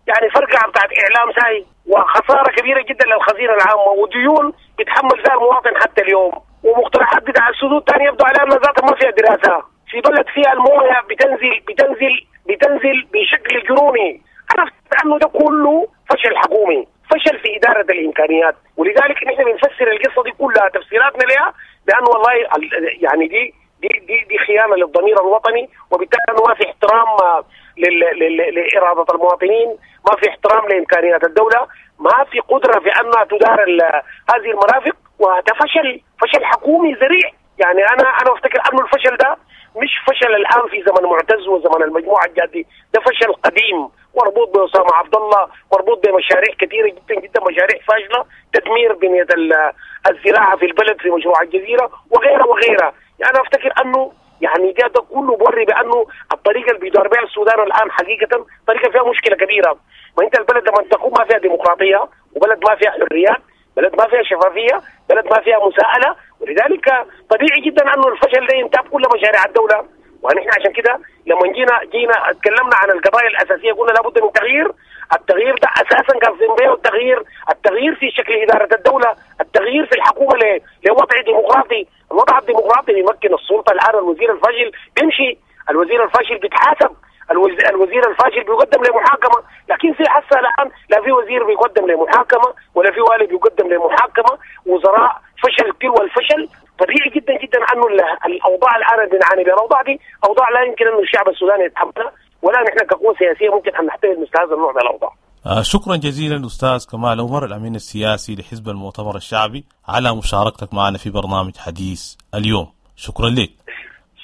يعني فرقعة بتاعت إعلام ساي، وخسارة كبيرة جدا للخزينة العامة، وديون بيتحمل فيها المواطن حتى اليوم، ومقترحات بتاع السدود ثانية يبدو عليها أنها ذاتها ما فيها دراسة. في بلد فيها المويه بتنزل بتنزل بتنزل بشكل جنوني. أنا أنه ده كله فشل حكومي، فشل في إدارة الإمكانيات، ولذلك نحن بنفسر القصة دي كلها تفسيراتنا لها بأنه والله يعني دي دي دي, دي خيانة للضمير الوطني، وبالتالي أنه ما في احترام لإرادة المواطنين، ما في احترام لإمكانيات الدولة، ما في قدرة في أنها تدار هذه المرافق، وهذا فشل فشل حكومي ذريع. يعني أنا أنا أفتكر أنه الفشل ده مش فشل الآن في زمن معتز وزمن المجموعة الجادة، ده فشل قديم مربوط بأسامة عبد الله، مربوط بمشاريع كثيرة جدا جدا، مشاريع فاشلة، تدمير بنية الزراعة في البلد في مشروع الجزيرة وغيرها وغيرها. يعني أنا أفتكر أنه يعني ده, ده كله بوري بأنه الطريقة اللي بيدار بها السودان الآن حقيقة طريقة فيها مشكلة كبيرة. ما أنت البلد لما تكون ما فيها ديمقراطية، وبلد ما فيها حريات، بلد ما فيها شفافية، بلد ما فيها مساءلة، ولذلك طبيعي جدا أنه الفشل ده ينتاب كل مشاريع الدولة. ونحن عشان كده لما جينا جينا اتكلمنا عن القضايا الأساسية قلنا لابد من تغيير. التغيير ده أساسا قصدنا به التغيير، التغيير في شكل إدارة الدولة، التغيير في الحكومة لوضع ديمقراطي. الوضع الديمقراطي بيمكن السلطة الآن. الوزير الفاشل بيمشي، الوزير الفاشل بيتحاسب، الوزير الفاشل بيقدم لمحاكمة، لكن في حاسة الآن لا في وزير بيقدم لمحاكمة ولا في والي بيقدم لمحاكمة، وزراء فشل تلو الفشل. طبيعي جدا جدا أنه الأوضاع الآن اللي بنعاني بها، الأوضاع دي أوضاع لا يمكن أن الشعب السوداني يتحملها، ولا نحن كقوة سياسية ممكن أن نحتمل مثل هذا النوع من الأوضاع. آه شكرا جزيلا أستاذ كمال عمر الأمين السياسي لحزب المؤتمر الشعبي على مشاركتك معنا في برنامج حديث اليوم. شكرا لك.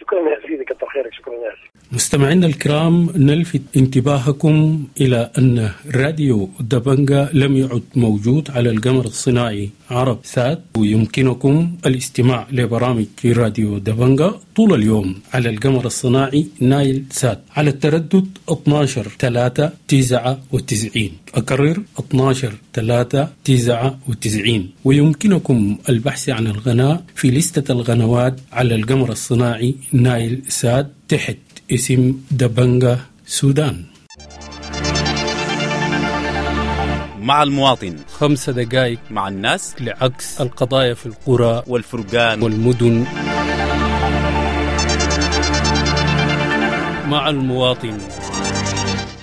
شكرا يا سيدي، كتر خيرك. شكرا يا سيدي. مستمعينا الكرام، نلفت انتباهكم إلى أن راديو دبنجا لم يعد موجود على القمر الصناعي عرب سات، ويمكنكم الاستماع لبرامج راديو دبنجا طول اليوم على القمر الصناعي نايل سات على التردد اثنا عشر ثلاثة تسعة وتسعين. أكرر اثنا عشر ثلاثة تسعة وتسعين. ويمكنكم البحث عن القناة في لستة القنوات على القمر الصناعي نايل سات تحت اسم دبنجا سودان. مع المواطن خمسة دقائق مع الناس لعكس القضايا في القرى والفرقان والمدن. مع المواطن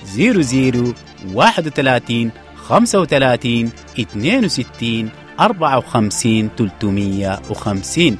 زيرو زيرو واحد وثلاثين خمسة وثلاثين اثنين وستين أربعة وخمسين ثلاثمية وخمسين.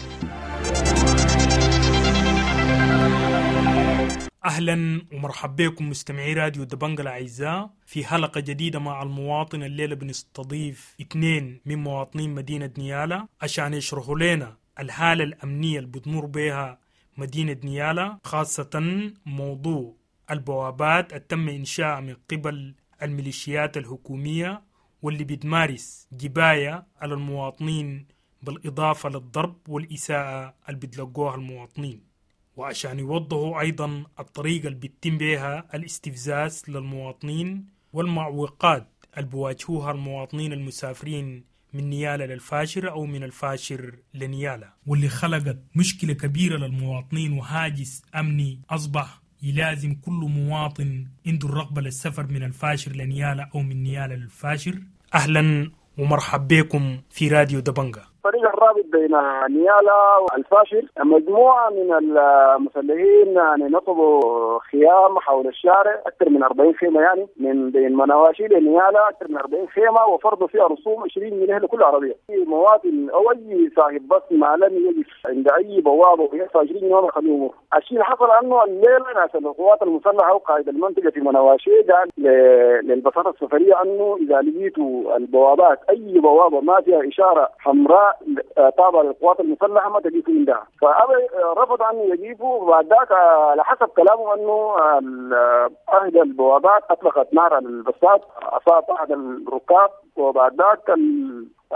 أهلا ومرحبا بكم مستمعي راديو دبنجا الأعزاء في حلقة جديدة مع المواطن. الليلة بنستضيف اثنين من مواطنين مدينة نيالا عشان يشرحوا لنا الحالة الأمنية اللي بتمر بها مدينة نيالا، خاصة موضوع البوابات التم إنشاءها من قبل الميليشيات الحكومية واللي بتمارس جباية على المواطنين بالإضافة للضرب والإساءة اللي بتلقوها المواطنين، وعشان يوضحوا أيضا الطريقة اللي بيتم بها الاستفزاز للمواطنين والمعوقات اللي بواجهوها المواطنين المسافرين من نيالا للفاشر أو من الفاشر لنيالا، واللي خلقت مشكلة كبيرة للمواطنين وهاجس أمني أصبح يلازم كل مواطن عنده الرغبة للسفر من الفاشر لنيالا أو من نيالا للفاشر. أهلا ومرحب بكم في راديو دبنجا. الطريق الرابط بين نيالا والفاشر مجموعة من المسلحين يعني نصبوا خيام حول الشارع أكثر من أربعين خيمة، يعني من بين منواشي لنيالا أكثر من أربعين خيمة، وفرضوا فيها رسوم عشرين جنيه لكل عربية. أي مواطن أو أي صاحب بس ما لم يقف عند أي بوابة ويدفع عشرين جنيه ما يخليه يمر. الشيء اللي حصل أنه الليلة ناس القوات المسلحة وقائد المنطقة في منواشي قال للبساطة السفرية أنه إذا لقيتوا البوابات أي بوابة ما فيها إشارة حمراء تابعة للقوات المسلحة ما تجيبوا عندها، فأبى رفض أن يجيبوا. وبعد ذاك على حسب كلامه أنه أحد البوابات أطلقت نار على البساط، أصاب أحد الركاب، وبعد ذاك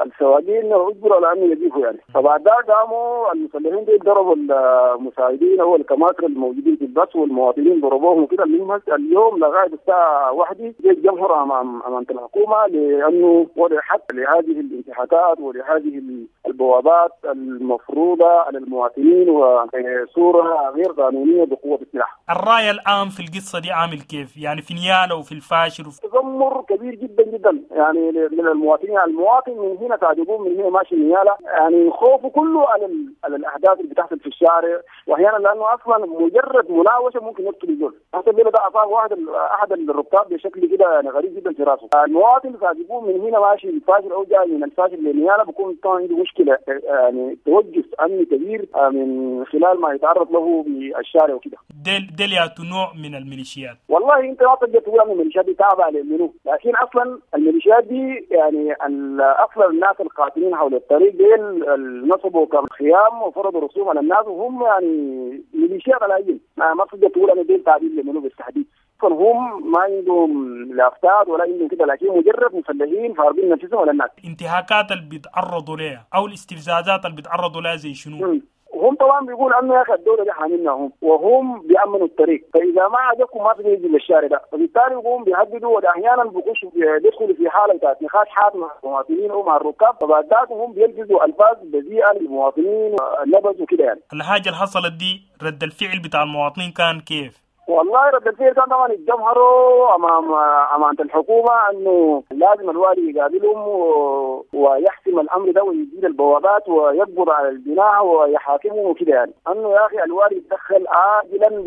السواقين اجبروا على أن يجيبوا يعني. فبعد ذاك قاموا المسلحين دي ضربوا المساعدين أو الكماتر الموجودين في البس والمواطنين ضربوهم وكده. المهم اليوم لغاية الساعة واحدة جاء الجمهور أمام أمام الحكومة لأنه وضع حد لهذه الانتهاكات ولهذه البوابات المفروضة على المواطنين وصورة غير قانونية بقوة السلاح. الرأي العام في القصة دي عامل كيف؟ يعني في نيالا وفي الفاشر وفي... تذمر كبير جدا جدا يعني من المواطنين. المواطن من هنا تعجبون من هنا ماشي نيالا، يعني خوفه كله على على الاحداث اللي بتحصل في الشارع، واحيانا لانه اصلا مجرد مناوشه ممكن يقتل الزول. حتى الليلة ده اصاب واحد احد الركاب بشكل كده يعني غريب جدا في راسه. المواطن تعجبون من هنا ماشي الفاشر او جاي من الفاشر لنيالا بيكون طبعا عنده مشكلة يعني توجس امني كبير من خلال ما يتعرض له بالشارع وكده. ديل ديل ياتو نوع من الميليشيات؟ والله انت ما تقدر تقول ان الميليشيات دي تابعه لمنو، لكن اصلا الميليشيات دي يعني اصلا الناس القاتلين حول الطريق ديل نصبوا كخيام وفرضوا رسوم على الناس، وهم يعني ميليشيات على اي ما ما تقدر تقول ان ديل تابعين لمنو بالتحديد. هم ما عندهم لا افتاد ولا عندهم كده، لكن مجرد مسلحين فارضين نفسهم على الناس. الانتهاكات اللي بيتعرضوا لها او الاستفزازات اللي بيتعرضوا لها زي شنو؟ م. هم طبعا بيقول انه يا اخي الدولة دي حاملنا هم وهم بيامنوا الطريق، فاذا ما عجبكم ما تقدروا يجوا للشارع ده، فبالتالي يقوم بيهددوا، واحيانا بيخشوا بيدخلوا في حاله بتاعت نقاش حاد مع المواطنين او مع الركاب، فبعد ذاك هم بيلبسوا الفاظ بذيئة للمواطنين نبذ وكده يعني. الحاجة اللي حصلت دي رد الفعل بتاع المواطنين كان كيف؟ والله رد الفعل كان طبعا اتجمهروا امام امانه الحكومة انه لازم الوالي يقابلهم و... ويحسم الامر ده ويزيل البوابات ويقبض على الجناح ويحاكمهم وكده يعني. انه يا اخي الوالي يتدخل عاجلا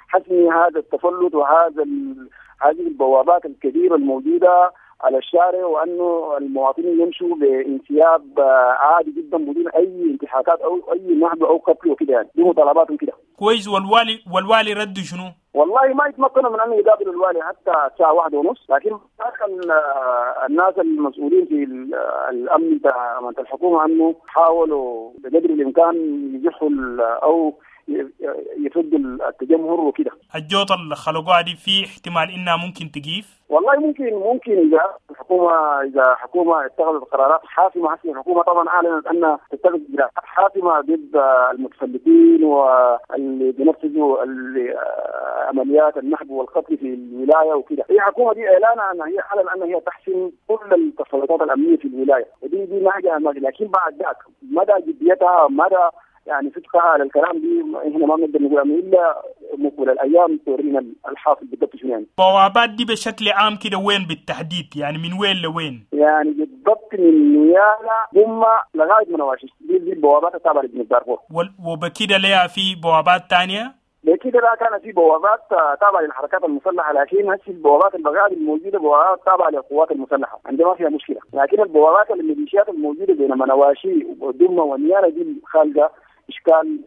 لحسم هذا التفلت وهذا ال... هذه البوابات الكبيرة الموجودة على الشارع، وانه المواطنين يمشوا بانسياب عادي جدا بدون اي انتهاكات او اي نهب او قتل وكده يعني. دي مطالباتهم كده. كويس. والوالي والوالي رد شنو؟ والله ما يتمكنوا من ان يقابلوا الوالي حتى الساعة واحدة ونص، لكن الناس المسؤولين في الامن بتاع الحكومة انه حاولوا بقدر الامكان يزحوا او يفضوا التجمهر وكده. الجوطة اللي خلقوها دي في احتمال انها ممكن تقيف؟ والله ممكن ممكن اذا الحكومة اذا حكومة اتخذت قرارات حاسمة. حسب الحكومة طبعا اعلنت انها تتخذ اجراءات حاسمة ضد المتفلتين واللي بينفذوا عمليات النهب والقتل في الولاية وكده. هي الحكومة دي اعلانها ان هي اعلن ان هي تحسم كل التسلطات الامنية في الولاية، ودي دي ما لكن بعد ذاك مدى جديتها مدى يعني صدقها على الكلام دي احنا ما بنقدر نقول الا مقبل الايام تورينا الحاصل بالضبط شنو يعني. البوابات دي بشكل عام كده وين بالتحديد؟ يعني من وين لوين؟ يعني بالضبط من نيالا ثم لغاية منواشي، دي, دي البوابات التابعة لجنوب دارفور. وبكده ليها في بوابات ثانية؟ بكده لا كان في بوابات تابعه للحركات المسلحة، لكن هسه البوابات البغال الموجودة بوابات تابعه للقوات المسلحة، عندما ما فيها مشكلة، لكن البوابات الميليشيات الموجودة بين منواشي ودمه ونيالا دي خالقه إشكال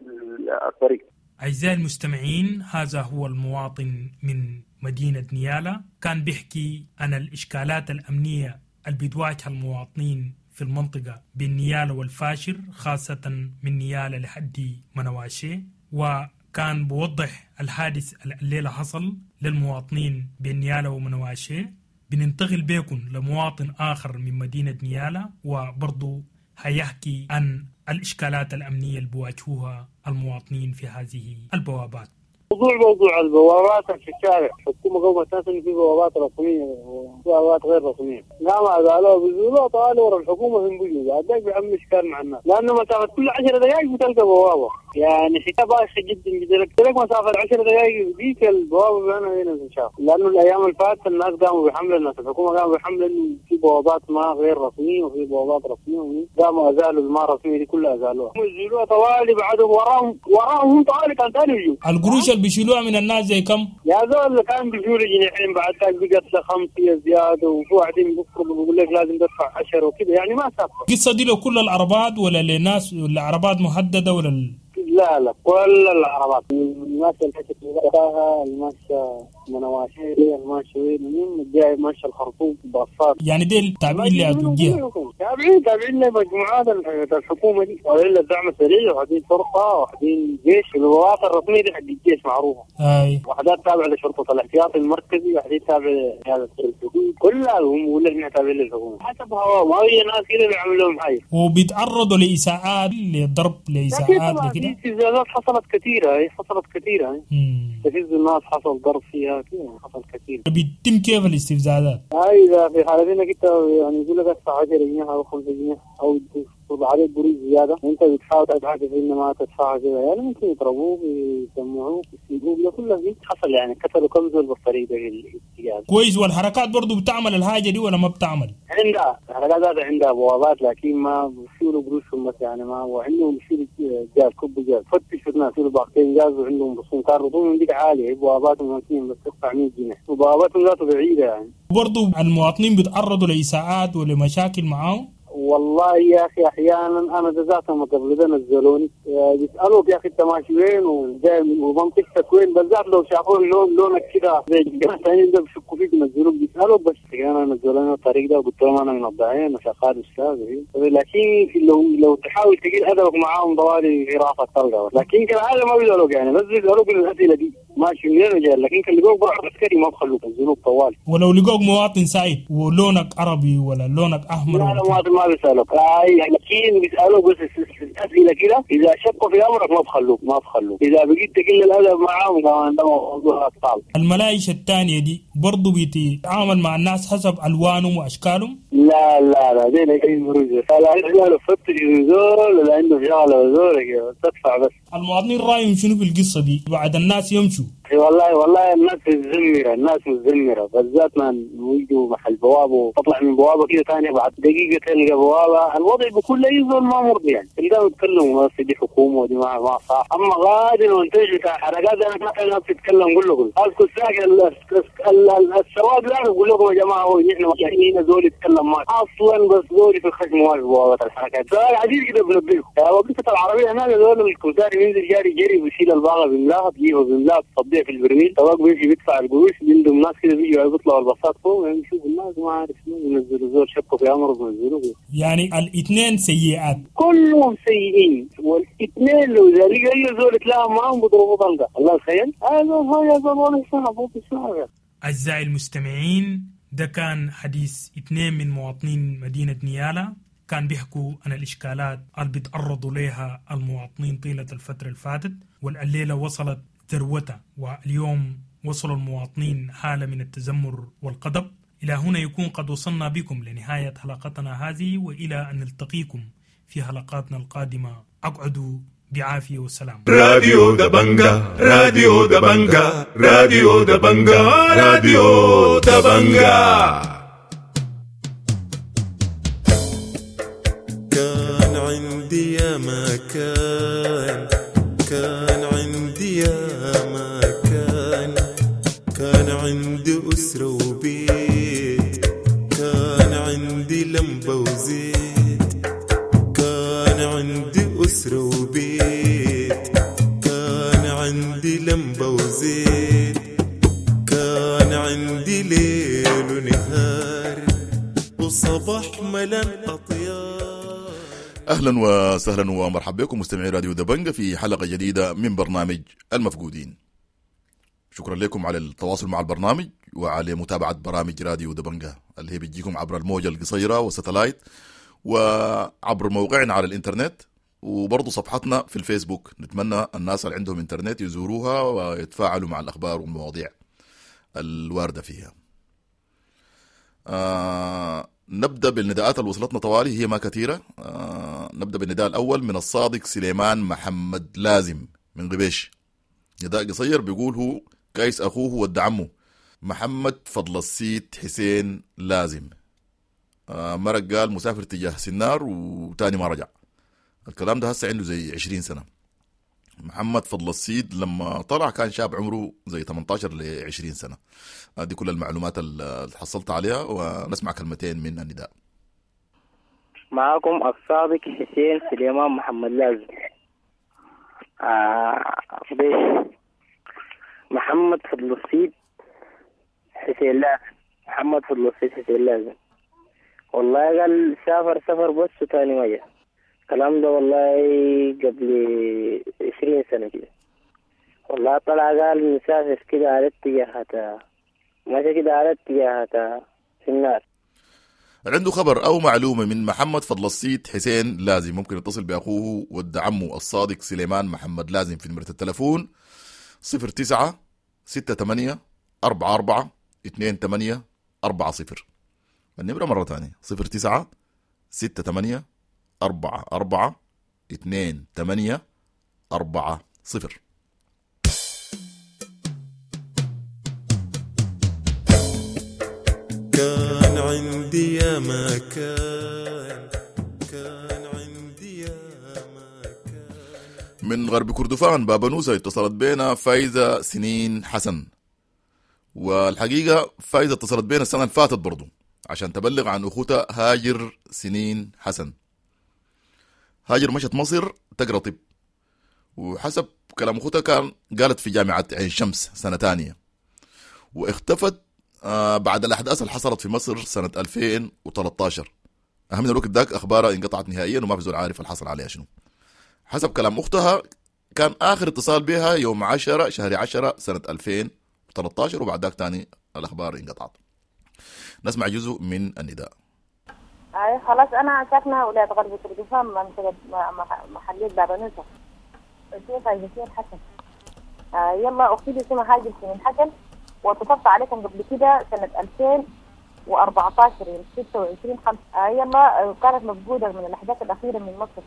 الطريق. أعزائي المستمعين، هذا هو المواطن من مدينة نيالا، كان بيحكي عن الإشكالات الأمنية اللي بتواجه المواطنين في المنطقة بين نيالا والفاشر، خاصة من نيالا لحد منواشي، وكان بوضح الحادث الليلة حصل للمواطنين بين نيالا ومنواشي. بننتقل بيكم لمواطن آخر من مدينة نيالا، وبرضو هيحكي عن الإشكالات الأمنية اللي بواجهوها المواطنين في هذه البوابات. موضوع موضوع البوابات في الشارع، الحكومة قومت ناس إنه في بوابات رسمية وبوابات غير رسمية، قام قالوا بيزولوا طالوا ورا الحكومة في بيجوا بعد ذاك بيعملوا إشكال مع الناس، لأنه مسافة كل عشر دقائق بتلقى بوابة، يعني حكاية بايخة جدا جدا، لك مسافة عشر دقائق ديك البوابة أنا هنا تنشاف، لأنه الأيام اللي فاتت الناس قاموا بحملة، الناس الحكومة قاموا بحملة إنه في بوابات ما غير رسمية وفي بوابات رسمية، قاموا أزالوا الما رسمية دي كلها أزالوها، يزيلوها طوالي بعدهم وراهم وراهم هم طوالي كان ثاني يجوا. القروش اللي بيشيلوها من الناس زي كم؟ يا زول كان بيشيلوا جنيحين بعد ذاك بقت خمسة زيادة، وفي واحدين بيفرضوا بيقول لك لازم تدفع عشرة وكده، يعني ما ثابتة. القصة دي لو كل العربات ولا لناس ولا عربات محددة ولا ال... لا لا كل العربات الماشية الحتة الماشية منواشي الماشية وين مين جاي ماشية الخرطوم باصات، يعني ديل تابعين لأدوجيها، تابعين تابعين لمجموعات الحكومة دي، وحدين الدعم السريع وحدين شرطة وحدين جيش، البوابات الرسمية دي حق الجيش معروفة، أي وحدات تابعة لشرطة الاحتياط المركزي، وحدين تابعة لقيادة الحدود، كلها هم ولا احنا تابعين للحكومة حسب هواهم، هي ناس كده بيعملوا لهم حاجة وبيتعرضوا لإساءات لضرب لإساءات لكده. استفزازات حصلت كثيرة، هي حصلت كثيرة، استفز الناس حصل ضرب فيها كده، حصل كثير. بيتم كيف الاستفزازات؟ هاي إذا في حالة إنك أنت يعني يقول لك ادفع عشرة جنيه أو خمسة جنيه أو تفرض عليك قروش زيادة، أنت بتحاول تتعاطف إن ما تدفعها كده، يعني ممكن يضربوك يسمعوك يسيبوك، ده كله حصل يعني قتلوا كم زول بالطريقة في الاتجاه. كويس. والحركات برضو بتعمل الحاجة دي ولا ما بتعمل؟ عندها الحركات ذاتها عندها بوابات، لكن ما بيشيلوا قروشهم بس، يعني ما وعندهم بيشيلوا جاز كب جاز، فتشوا الناس يشيلوا باقتين جاز وعندهم رسوم، كان رسومهم ديك عالية، بواباتهم ممكن بس تدفع مية جنيه، وبواباتهم ذاته بعيدة يعني. برضو المواطنين بيتعرضوا لإساءات ولمشاكل معاهم؟ والله يا أخي أحيانا أنا ذاتهم قبل ده نزلوني بيسألوك يا أخي أنت ماشي وين وجاي ومنطقتك وين، بالذات لو شافوا اللون لونك كده زي الجماعة الثانيين ده بيشكوا فيك ينزلوك، بيسألوك بس أنا نزلوني الطريق ده وقلت لهم أنا من الضعين وشغال أستاذ، لكن لو لو تحاول تقل أدبك معاهم ضوالي في راسك تلقى، لكن كالعادة ما بيسألوك يعني، بس بيسألوك الأسئلة دي ماشي منين وجاي، لكن كان لقوك برا عسكري ما بخلوك ينزلوك طوال. ولو لقوك مواطن سعيد ولونك عربي ولا لونك أحمر؟ لا لا مواطن ما بيسألوك، أي لكن بيسألوك بس أسئلة كده، إذا شكوا في أمرك ما بخلوك ما بخلوك، إذا بقيت تقل الأدب معاهم كمان ده موضوع أطفال. الملايش الثانية دي برضو بيتعامل مع الناس حسب ألوانهم وأشكالهم؟ لا لا لا دي لا يمرز، لا لا فتش زول ولا عنده شغلة زول تدفع بس. المواطنين رأيهم شنو في القصة دي بعد الناس يمشوا؟ والله والله الناس متذمرة، الناس متذمرة بالذات ما يجوا محل بوابة وتطلع من بوابة كده ثانية بعد دقيقة تلقى بوابة، الوضع بكل أي زول ما مرضي يعني، تلقاهم يتكلموا بس دي حكومة ودي ما ما صح، أما غادر وانتج بتاع حركات أنا ما الناس تتكلم كله كله، أذكر ساكن السواد لا يقول لكم يا جماعة هو نحن هنا زول يتكلم ما أصلا بس زول في الخشم واقف بوابة الحركات، سؤال عديد كده بنبهكم، وقفة العربية هناك زول الكمساري بينزل جاري جري بيشيل الباغة بيملاها بيجيبها بيملاها بتصديها في البرميل، سواق بيمشي بيدفع القروش، بيندم ناس كده بيجوا بيطلعوا الباصات فوق يشوفوا الناس ما عارف شنو بينزلوا زول شكوا في امره بينزلوه. يعني الاثنين سيئات كلهم سيئين، والاثنين لو ذلك اي زول تلاقى معاهم بيضربوا طلقه، الله تخيل هذا هذا والله صعب صعب. اعزائي المستمعين، ده كان حديث اثنين من مواطنين مدينه نيالا، كان بيحكوا عن الإشكالات اللي بيتعرضوا لها المواطنين طيلة الفترة اللي فاتت، والليلة وصلت ذروتها، واليوم وصلوا المواطنين حالة من التذمر والغضب. إلى هنا يكون قد وصلنا بكم لنهاية حلقتنا هذه، وإلى أن نلتقيكم في حلقاتنا القادمة، أقعدوا بعافية والسلام. راديو دبنجا، راديو دبنجا، راديو دبنجا، راديو دبنجا. كان عندي يا ما كان، كان عندي يا ما كان، كان عندي أسرة وبيت، كان عندي لمبة وزيت، كان عندي أسرة وبيت، كان عندي عندي ليل ونهار وصباح ملان أطيار. أهلا وسهلا ومرحبا بكم مستمعي راديو دبنجة في حلقة جديدة من برنامج المفقودين. شكرا لكم على التواصل مع البرنامج وعلى متابعة برامج راديو دبنجة اللي هي بتجيكم عبر الموجة القصيرة والستلايت وعبر موقعنا على الإنترنت وبرضو صفحتنا في الفيسبوك. نتمنى الناس اللي عندهم إنترنت يزوروها ويتفاعلوا مع الأخبار والمواضيع الواردة فيها. آه نبدأ بالنداءات اللي وصلتنا طوالي، هي ما كثيرة. آه نبدأ بالنداء الأول من الصادق سليمان محمد لازم من غبيش. نداء قصير بيقول هو كايس أخوه ود عمه محمد فضل السيد حسين لازم. آه مرق قال مسافر تجاه سنار وتاني ما رجع. الكلام ده هسه عنده زي عشرين سنة. محمد فضل السيد لما طلع كان شاب عمره زي ثمانية عشر ل عشرين سنة. دي كل المعلومات اللي حصلت عليها، ونسمع كلمتين من النداء. معاكم الصادق حسين سليمان محمد لازم. آه بيش محمد فضل السيد حسين لازم، محمد فضل السيد حسين لازم. والله قال سافر سفر بس وتاني ما جاء. الكلام ده والله قبل عشرين سنة كده. والله طلع قال مسافر كده على اتجاهات، ماشي كده على اتجاهات في النار. عنده خبر أو معلومة من محمد فضل السيد حسين لازم ممكن يتصل بأخوه ود عمه الصادق سليمان محمد لازم في نمرة التلفون صفر تسعة ستة ثمانية أربعة أربعة اثنين ثمانية أربعة صفر. النمرة مرة ثانية صفر تسعة ستة ثمانية أربعة أربعة اثنين ثمانية أربعة صفر. كان عندي يا ما كان، كان عندي يا ما كان. من غرب كردفان بابنوسة اتصلت بينا فايزة سنين حسن، والحقيقة فايزة اتصلت بينا السنة اللي فاتت برضو عشان تبلغ عن أخوتها هاجر سنين حسن. هاجر مشت مصر تقرأ طب، وحسب كلام أخوتها كان قالت في جامعة عين شمس سنة تانية، واختفت بعد الأحداث اللي حصلت في مصر سنة ألفين وثلاثة عشر. أهم من الوقت ذاك أخبارها انقطعت نهائيا وما في زول عارف اللي حصل عليها شنو. حسب كلام أختها كان آخر اتصال بها يوم عشرة شهر عشرة سنة ألفين وثلاثة عشر، وبعد ذاك تاني الأخبار انقطعت. نسمع جزء من النداء. اي خلاص انا ساكنه ولايه غرب كردفان منطقه محليه بابنوسه، اسمي فايزه سنين حسن. آه يلا اختي دي اسمها هاجر سنين حسن، واتصلت عليكم قبل كده سنه ألفين وأربعة عشر يوم ستة وعشرين خمسة. آه يلا كانت مفقوده من الاحداث الاخيره من مصر.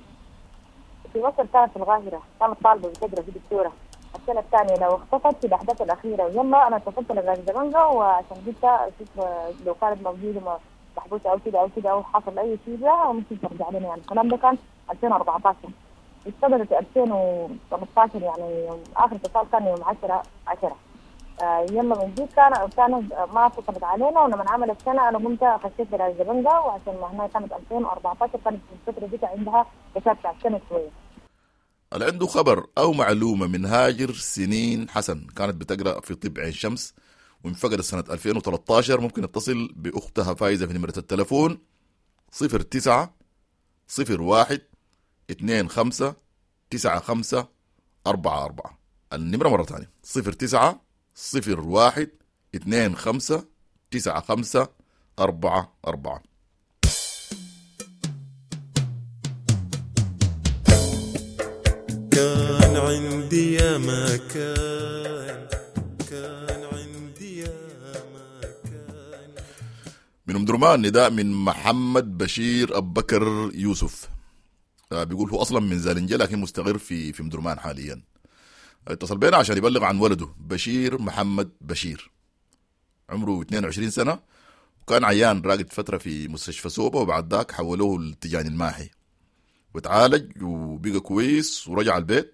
في مصر كانت في القاهره، كانت طالبه بتقرا في دكتوره السنه الثانيه لو اختفت في الاحداث الاخيره. ويلا انا اتصلت لغايه دبنجه وعشان قلت اشوف لو كانت موجوده محبوسه او كده او كده او حصل اي شيء لها ممكن ترجع لنا. يعني الكلام ده كان ألفين وأربعة عشر، اشتغلت في ألفين وثمانية عشر، يعني اخر اتصال كان يوم عشرة عشرة. آه يلا من دي كان كان ما اتصلت علينا، ولما عملت سنه انا قمت خشيت للزبنجه، وعشان ما هنا كانت ألفين وأربعة عشر كانت في الفتره دي عندها بتاع سنه شويه. اللي عنده خبر او معلومه من هاجر سنين حسن كانت بتقرا في طب عين شمس وانفقدت سنة ألفين وثلاثة عشر، ممكن يتصل بأختها فايزة في نمرة التلفون صفر تسعة صفر واحد اثنين خمسة تسعة خمسة أربعة أربعة. النمرة مرة ثانية صفر تسعة صفر واحد اثنين خمسة تسعة خمسة أربعة أربعة. كان عندي يا ما كان، كان عندي يا ما كان. من أم درمان نداء من محمد بشير أبو بكر يوسف، بيقول هو أصلا من زالنجة لكن مستقر في في أم درمان حاليا. اتصل بينا عشان يبلغ عن ولده بشير محمد بشير، عمره اثنين وعشرين سنة، وكان عيان راقد فترة في مستشفى سوبا، وبعد ذاك حولوه للتجاني الماحي وتعالج وبقى كويس ورجع البيت.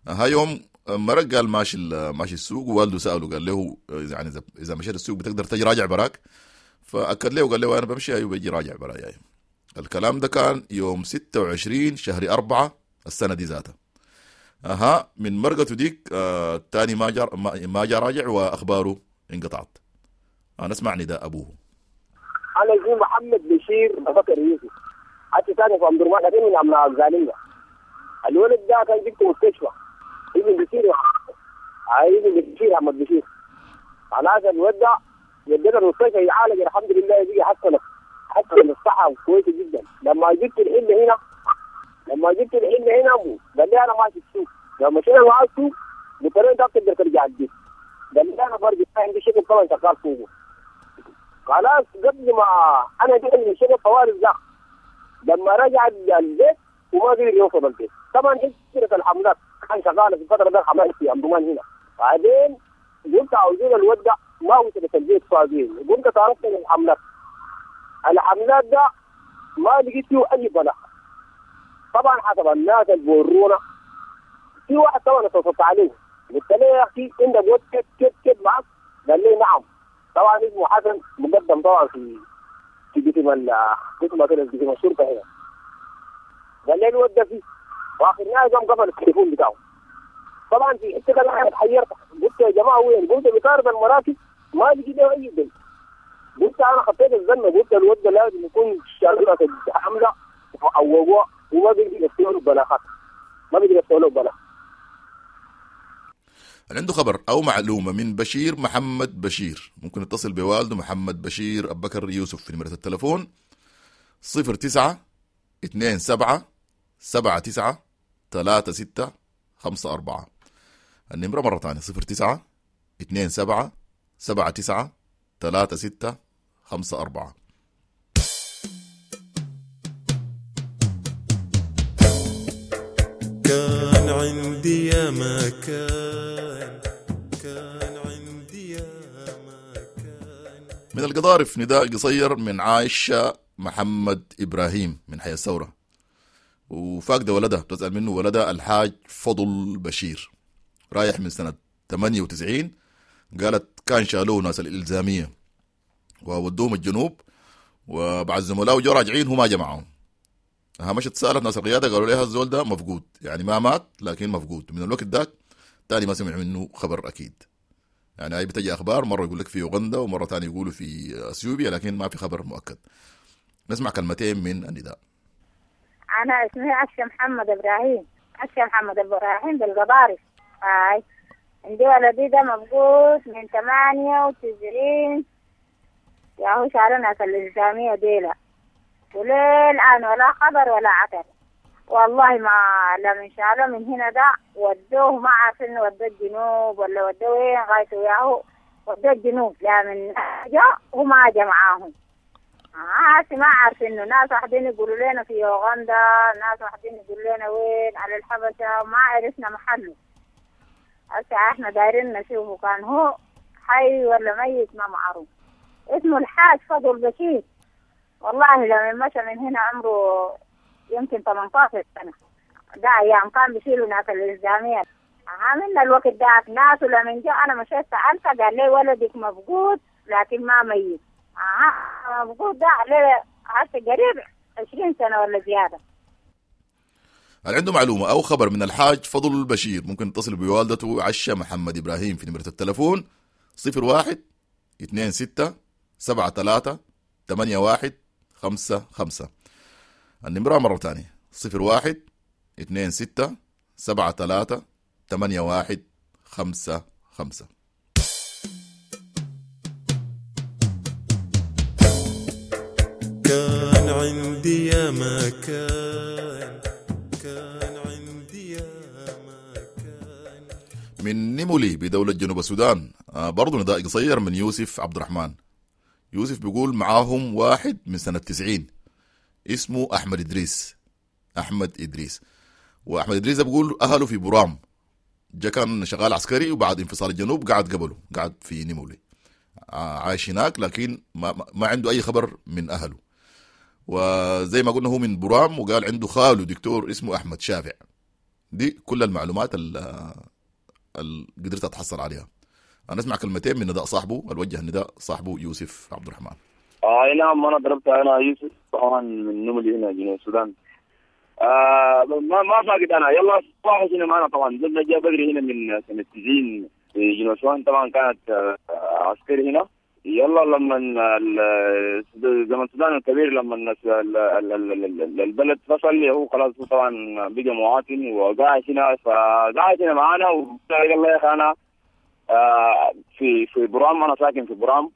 ها يوم مرق قال ماشي ماشي السوق، ووالده سأله قال له يعني إذا مشيت السوق بتقدر تجي راجع براك؟ فأكد له وقال له أنا بمشي أيوه بيجي راجع براي. أيوه. الكلام ده كان يوم ستة وعشرين شهر أربعة السنة دي ذاتها. أها من مرقته ديك آه تاني ما جا ما جا راجع وأخباره انقطعت. نسمع نداء أبوه. أنا اسمي محمد بشير بكر يوسف، حتى ثاني في أم درمان، لكن من أبناء الزالية. الولد ده كان جبته مستشفى ابن بشير، ابن بشير أحمد بشير. خلاص الولد ده ودينا المستشفى يعالج، الحمد لله بقي حسن حسن الصحة كويسة جدا. لما جبت الحلة هنا لما جبت الحلة هنا أبو قال لي أنا ماشي السوق. لما مشينا معاه السوق قلت له أنت بتقدر ترجع البيت؟ قال لي أنا برجع، عندي شغل طبعا شغال فوقه. خلاص قبل ما أنا جيت من الشغل طوال الزخ، لما رجع البيت وما قدر يوصل البيت. طبعا حجرة الحملات كان شغالة في الفترة ده الحملات في أم درمان هنا. بعدين قلت عاوزين الودع ما وصلت البيت فاضيين، قمت تعرفت من الحملات. الحملات ده ما لقيت فيه أي بلاغ. طبعا حسب الناس اللي بورونا في واحد طبعا اتصلت عليه قلت له يا أخي عندك ود كيف كيف كيف معك؟ قال لي نعم. طبعا اسمه حسن مقدم طبعا في في قسم ال قسم كده قسم الشرطة هنا. قال لي الود ده فيه، واخر نهاية قام قفل التليفون بتاعه. طبعا في حتة كده انا اتحيرت، قلت يا جماعة وين؟ قلت بطارد المراكز ما لقيت له اي دليل. قلت انا خطيت الزلمة، قلت الود ده لازم يكون شغله حمله او وما بيقدر يفتحوا له بلاغات، ما بيقدر يفتحوا له بلاغ. اللي عنده خبر أو معلومة من بشير محمد بشير ممكن يتصل بوالده محمد بشير أبو بكر يوسف في نمرة التلفون صفر تسعة اثنين سبعة سبعة تسعة ثلاثة ستة خمسة أربعة. النمرة مرة ثانية صفر تسعة اثنين سبعة سبعة تسعة ثلاثة ستة خمسة أربعة. كان عندي يا مكان، كان عندي يا مكان. من القضارف نداء قصير من عائشة محمد إبراهيم من حي الثورة، وفاقدة ولدها، بتسأل منه ولدها الحاج فضل بشير، رايح من سنة ثمانية وتسعين. قالت كان شالوه ناس الإلزامية وودوهم الجنوب، وبعد زملائه جو راجعين هو ما جمعهم. مشت سألت ناس القيادة قالوا لها الزول ده مفقود، يعني ما مات لكن مفقود. من الوقت ذاك تاني ما سمع منه خبر أكيد. يعني هاي بتجي أخبار مرة يقول لك في أوغندا ومرة تاني يقولوا في أثيوبيا، لكن ما في خبر مؤكد. نسمع كلمتين من النداء. أنا اسمي عشة محمد إبراهيم، عشة محمد إبراهيم بالقضارف. هاي عندي ولدي ده مفقود من ثمانية وتسعين، يا هو شالنا في الإلزامية ديلا، وليه الآن ولا خبر ولا عتر. والله ما لمن شالوا من هنا ده ودوه، ما عارفين ودوه الجنوب ولا ودوه وين، غايته ياهو ودوه الجنوب. لا من جاء وما جا معاهم، آه ما عارفين. ناس واحدين يقولوا لنا في أوغندا، ناس واحدين يقولوا لنا وين على الحبشة، ما عرفنا محله. هسه احنا دايرين نشوفه كان هو حي ولا ميت ما معروف. اسمه الحاج فضل بشير. والله لما مشى من هنا عمره يمكن ثمانية عشر سنة، ده أيام كان بيشيلوا ناس الإلزامية. عاملنا الوقت ده ناس، ولما جاء أنا مشيت سألته قال لي ولدك مفقود لكن ما ميت. آه مفقود ده عليه هسه قريب عشرين سنة ولا زيادة. هل عنده معلومة أو خبر من الحاج فضل البشير ممكن يتصل بوالدته عشة محمد إبراهيم في نمرة التلفون صفر واحد اثنين ستة سبعة ثلاثة ثمانية واحد خمسة خمسة. النمرة مرة تانية صفر واحد اثنين ستة سبعة ثلاثة ثمانية واحد خمسة خمسة. كان عندي يا مكان، كان عندي يا مكان. من نيمولي بدولة جنوب السودان برضو نداء قصير من يوسف عبد الرحمن. يوسف بيقول معاهم واحد من سنة تسعين اسمه أحمد إدريس. أحمد إدريس وأحمد إدريس بيقول أهله في برام، جا كان شغال عسكري وبعد انفصال الجنوب قعد قبله، قعد في نيمولي عايش هناك، لكن ما, ما عنده أي خبر من أهله. وزي ما قلنا هو من برام، وقال عنده خاله دكتور اسمه أحمد شافع. دي كل المعلومات اللي قدرت أتحصل عليها. أنا أسمع كلمتين من نداء صاحبه، الوجه النداء صاحبه يوسف عبد الرحمن. آه نعم، أنا ضربت، أنا يوسف طبعا من نملي هنا جنوب السودان. آه ما ما فاقد أنا، يلا واحد هنا معنا طبعا، زلنا جاء بدري هنا من سنة تسعين في جنوب السودان، طبعا كانت آه عسكري هنا، يلا لما ال- زمن السودان الكبير لما الناس ال- ال- ال- ال- البلد فصل، هو خلاص هو طبعا بقى مواطن وقاعد هنا، فقاعد هنا معانا. وقال الله يا اخي انا آه، في في برام، انا ساكن في برام،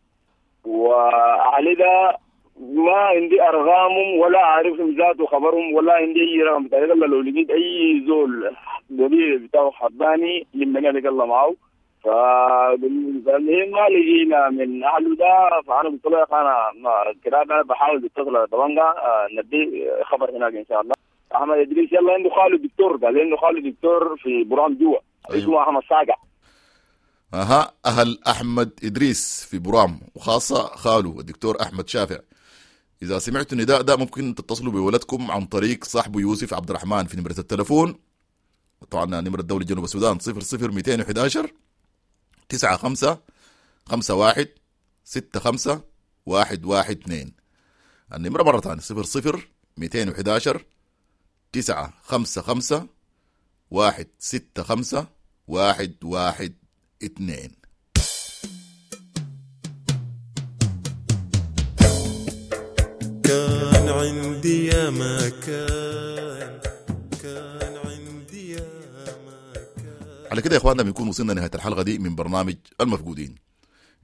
واهلي ده ما عندي ارقامهم ولا اعرفهم ذاته خبرهم ولا عندي اي رقم بتاعي. يلا لو لقيت اي زول قبيل بتاعه حباني لمني عليك الله معه. فالمهم ما لقينا من اهله ده، فانا قلت له يا اخي انا ما- كده انا بحاول اتصل على طبنجة آه، ندي خبر هناك ان شاء الله. احمد ادريس يلا عنده خاله دكتور، قال عنده خاله دكتور في برام جوا اسمه احمد صاقع. اها، اهل احمد ادريس في برام وخاصة خاله الدكتور احمد شافع، اذا سمعتوا النداء ده ممكن تتصلوا بولدكم عن طريق صاحبه يوسف عبد الرحمن في نمره التلفون، طبعا نمره الدولة جنوب السودان صفر صفر مئتين وأحد عشر تسعة خمسة خمسة واحد ستة خمسة واحد واحد اثنين. النمرة مرة ثانية صفر صفر مئتين وأحد عشر تسعة خمسة خمسة واحد ستة خمسة واحد واحد اثنين. كان عندي يا ما كان، كان عندي يا ما كان. على كده يا اخواننا بنكون وصلنا نهاية الحلقة دي من برنامج المفقودين.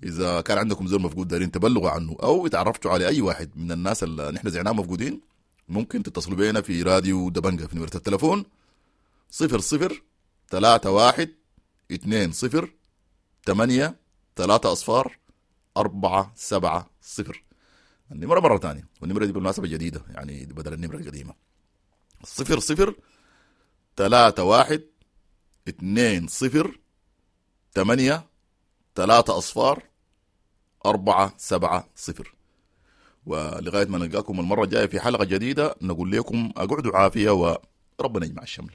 اذا كان عندكم زول مفقود دارين تبلغوا عنه او اتعرفتوا على اي واحد من الناس اللي نحن زعناهم مفقودين، ممكن تتصلوا بينا في راديو دبنجة في نمرة التلفون صفر صفر ثلاثة واحد اثنين صفر ثمانية ثلاثة أصفار أربعة سبعة صفر. النمرة مرة تانية، والنمرة دي بالمناسبة جديدة يعني بدل النمرة القديمة، صفر صفر ثلاثة واحد اثنين صفر ثمانية ثلاثة أصفار أربعة سبعة صفر. ولغاية ما نلقاكم المرة الجاية في حلقة جديدة نقول لكم أقعدوا عافية وربنا يجمع الشمل.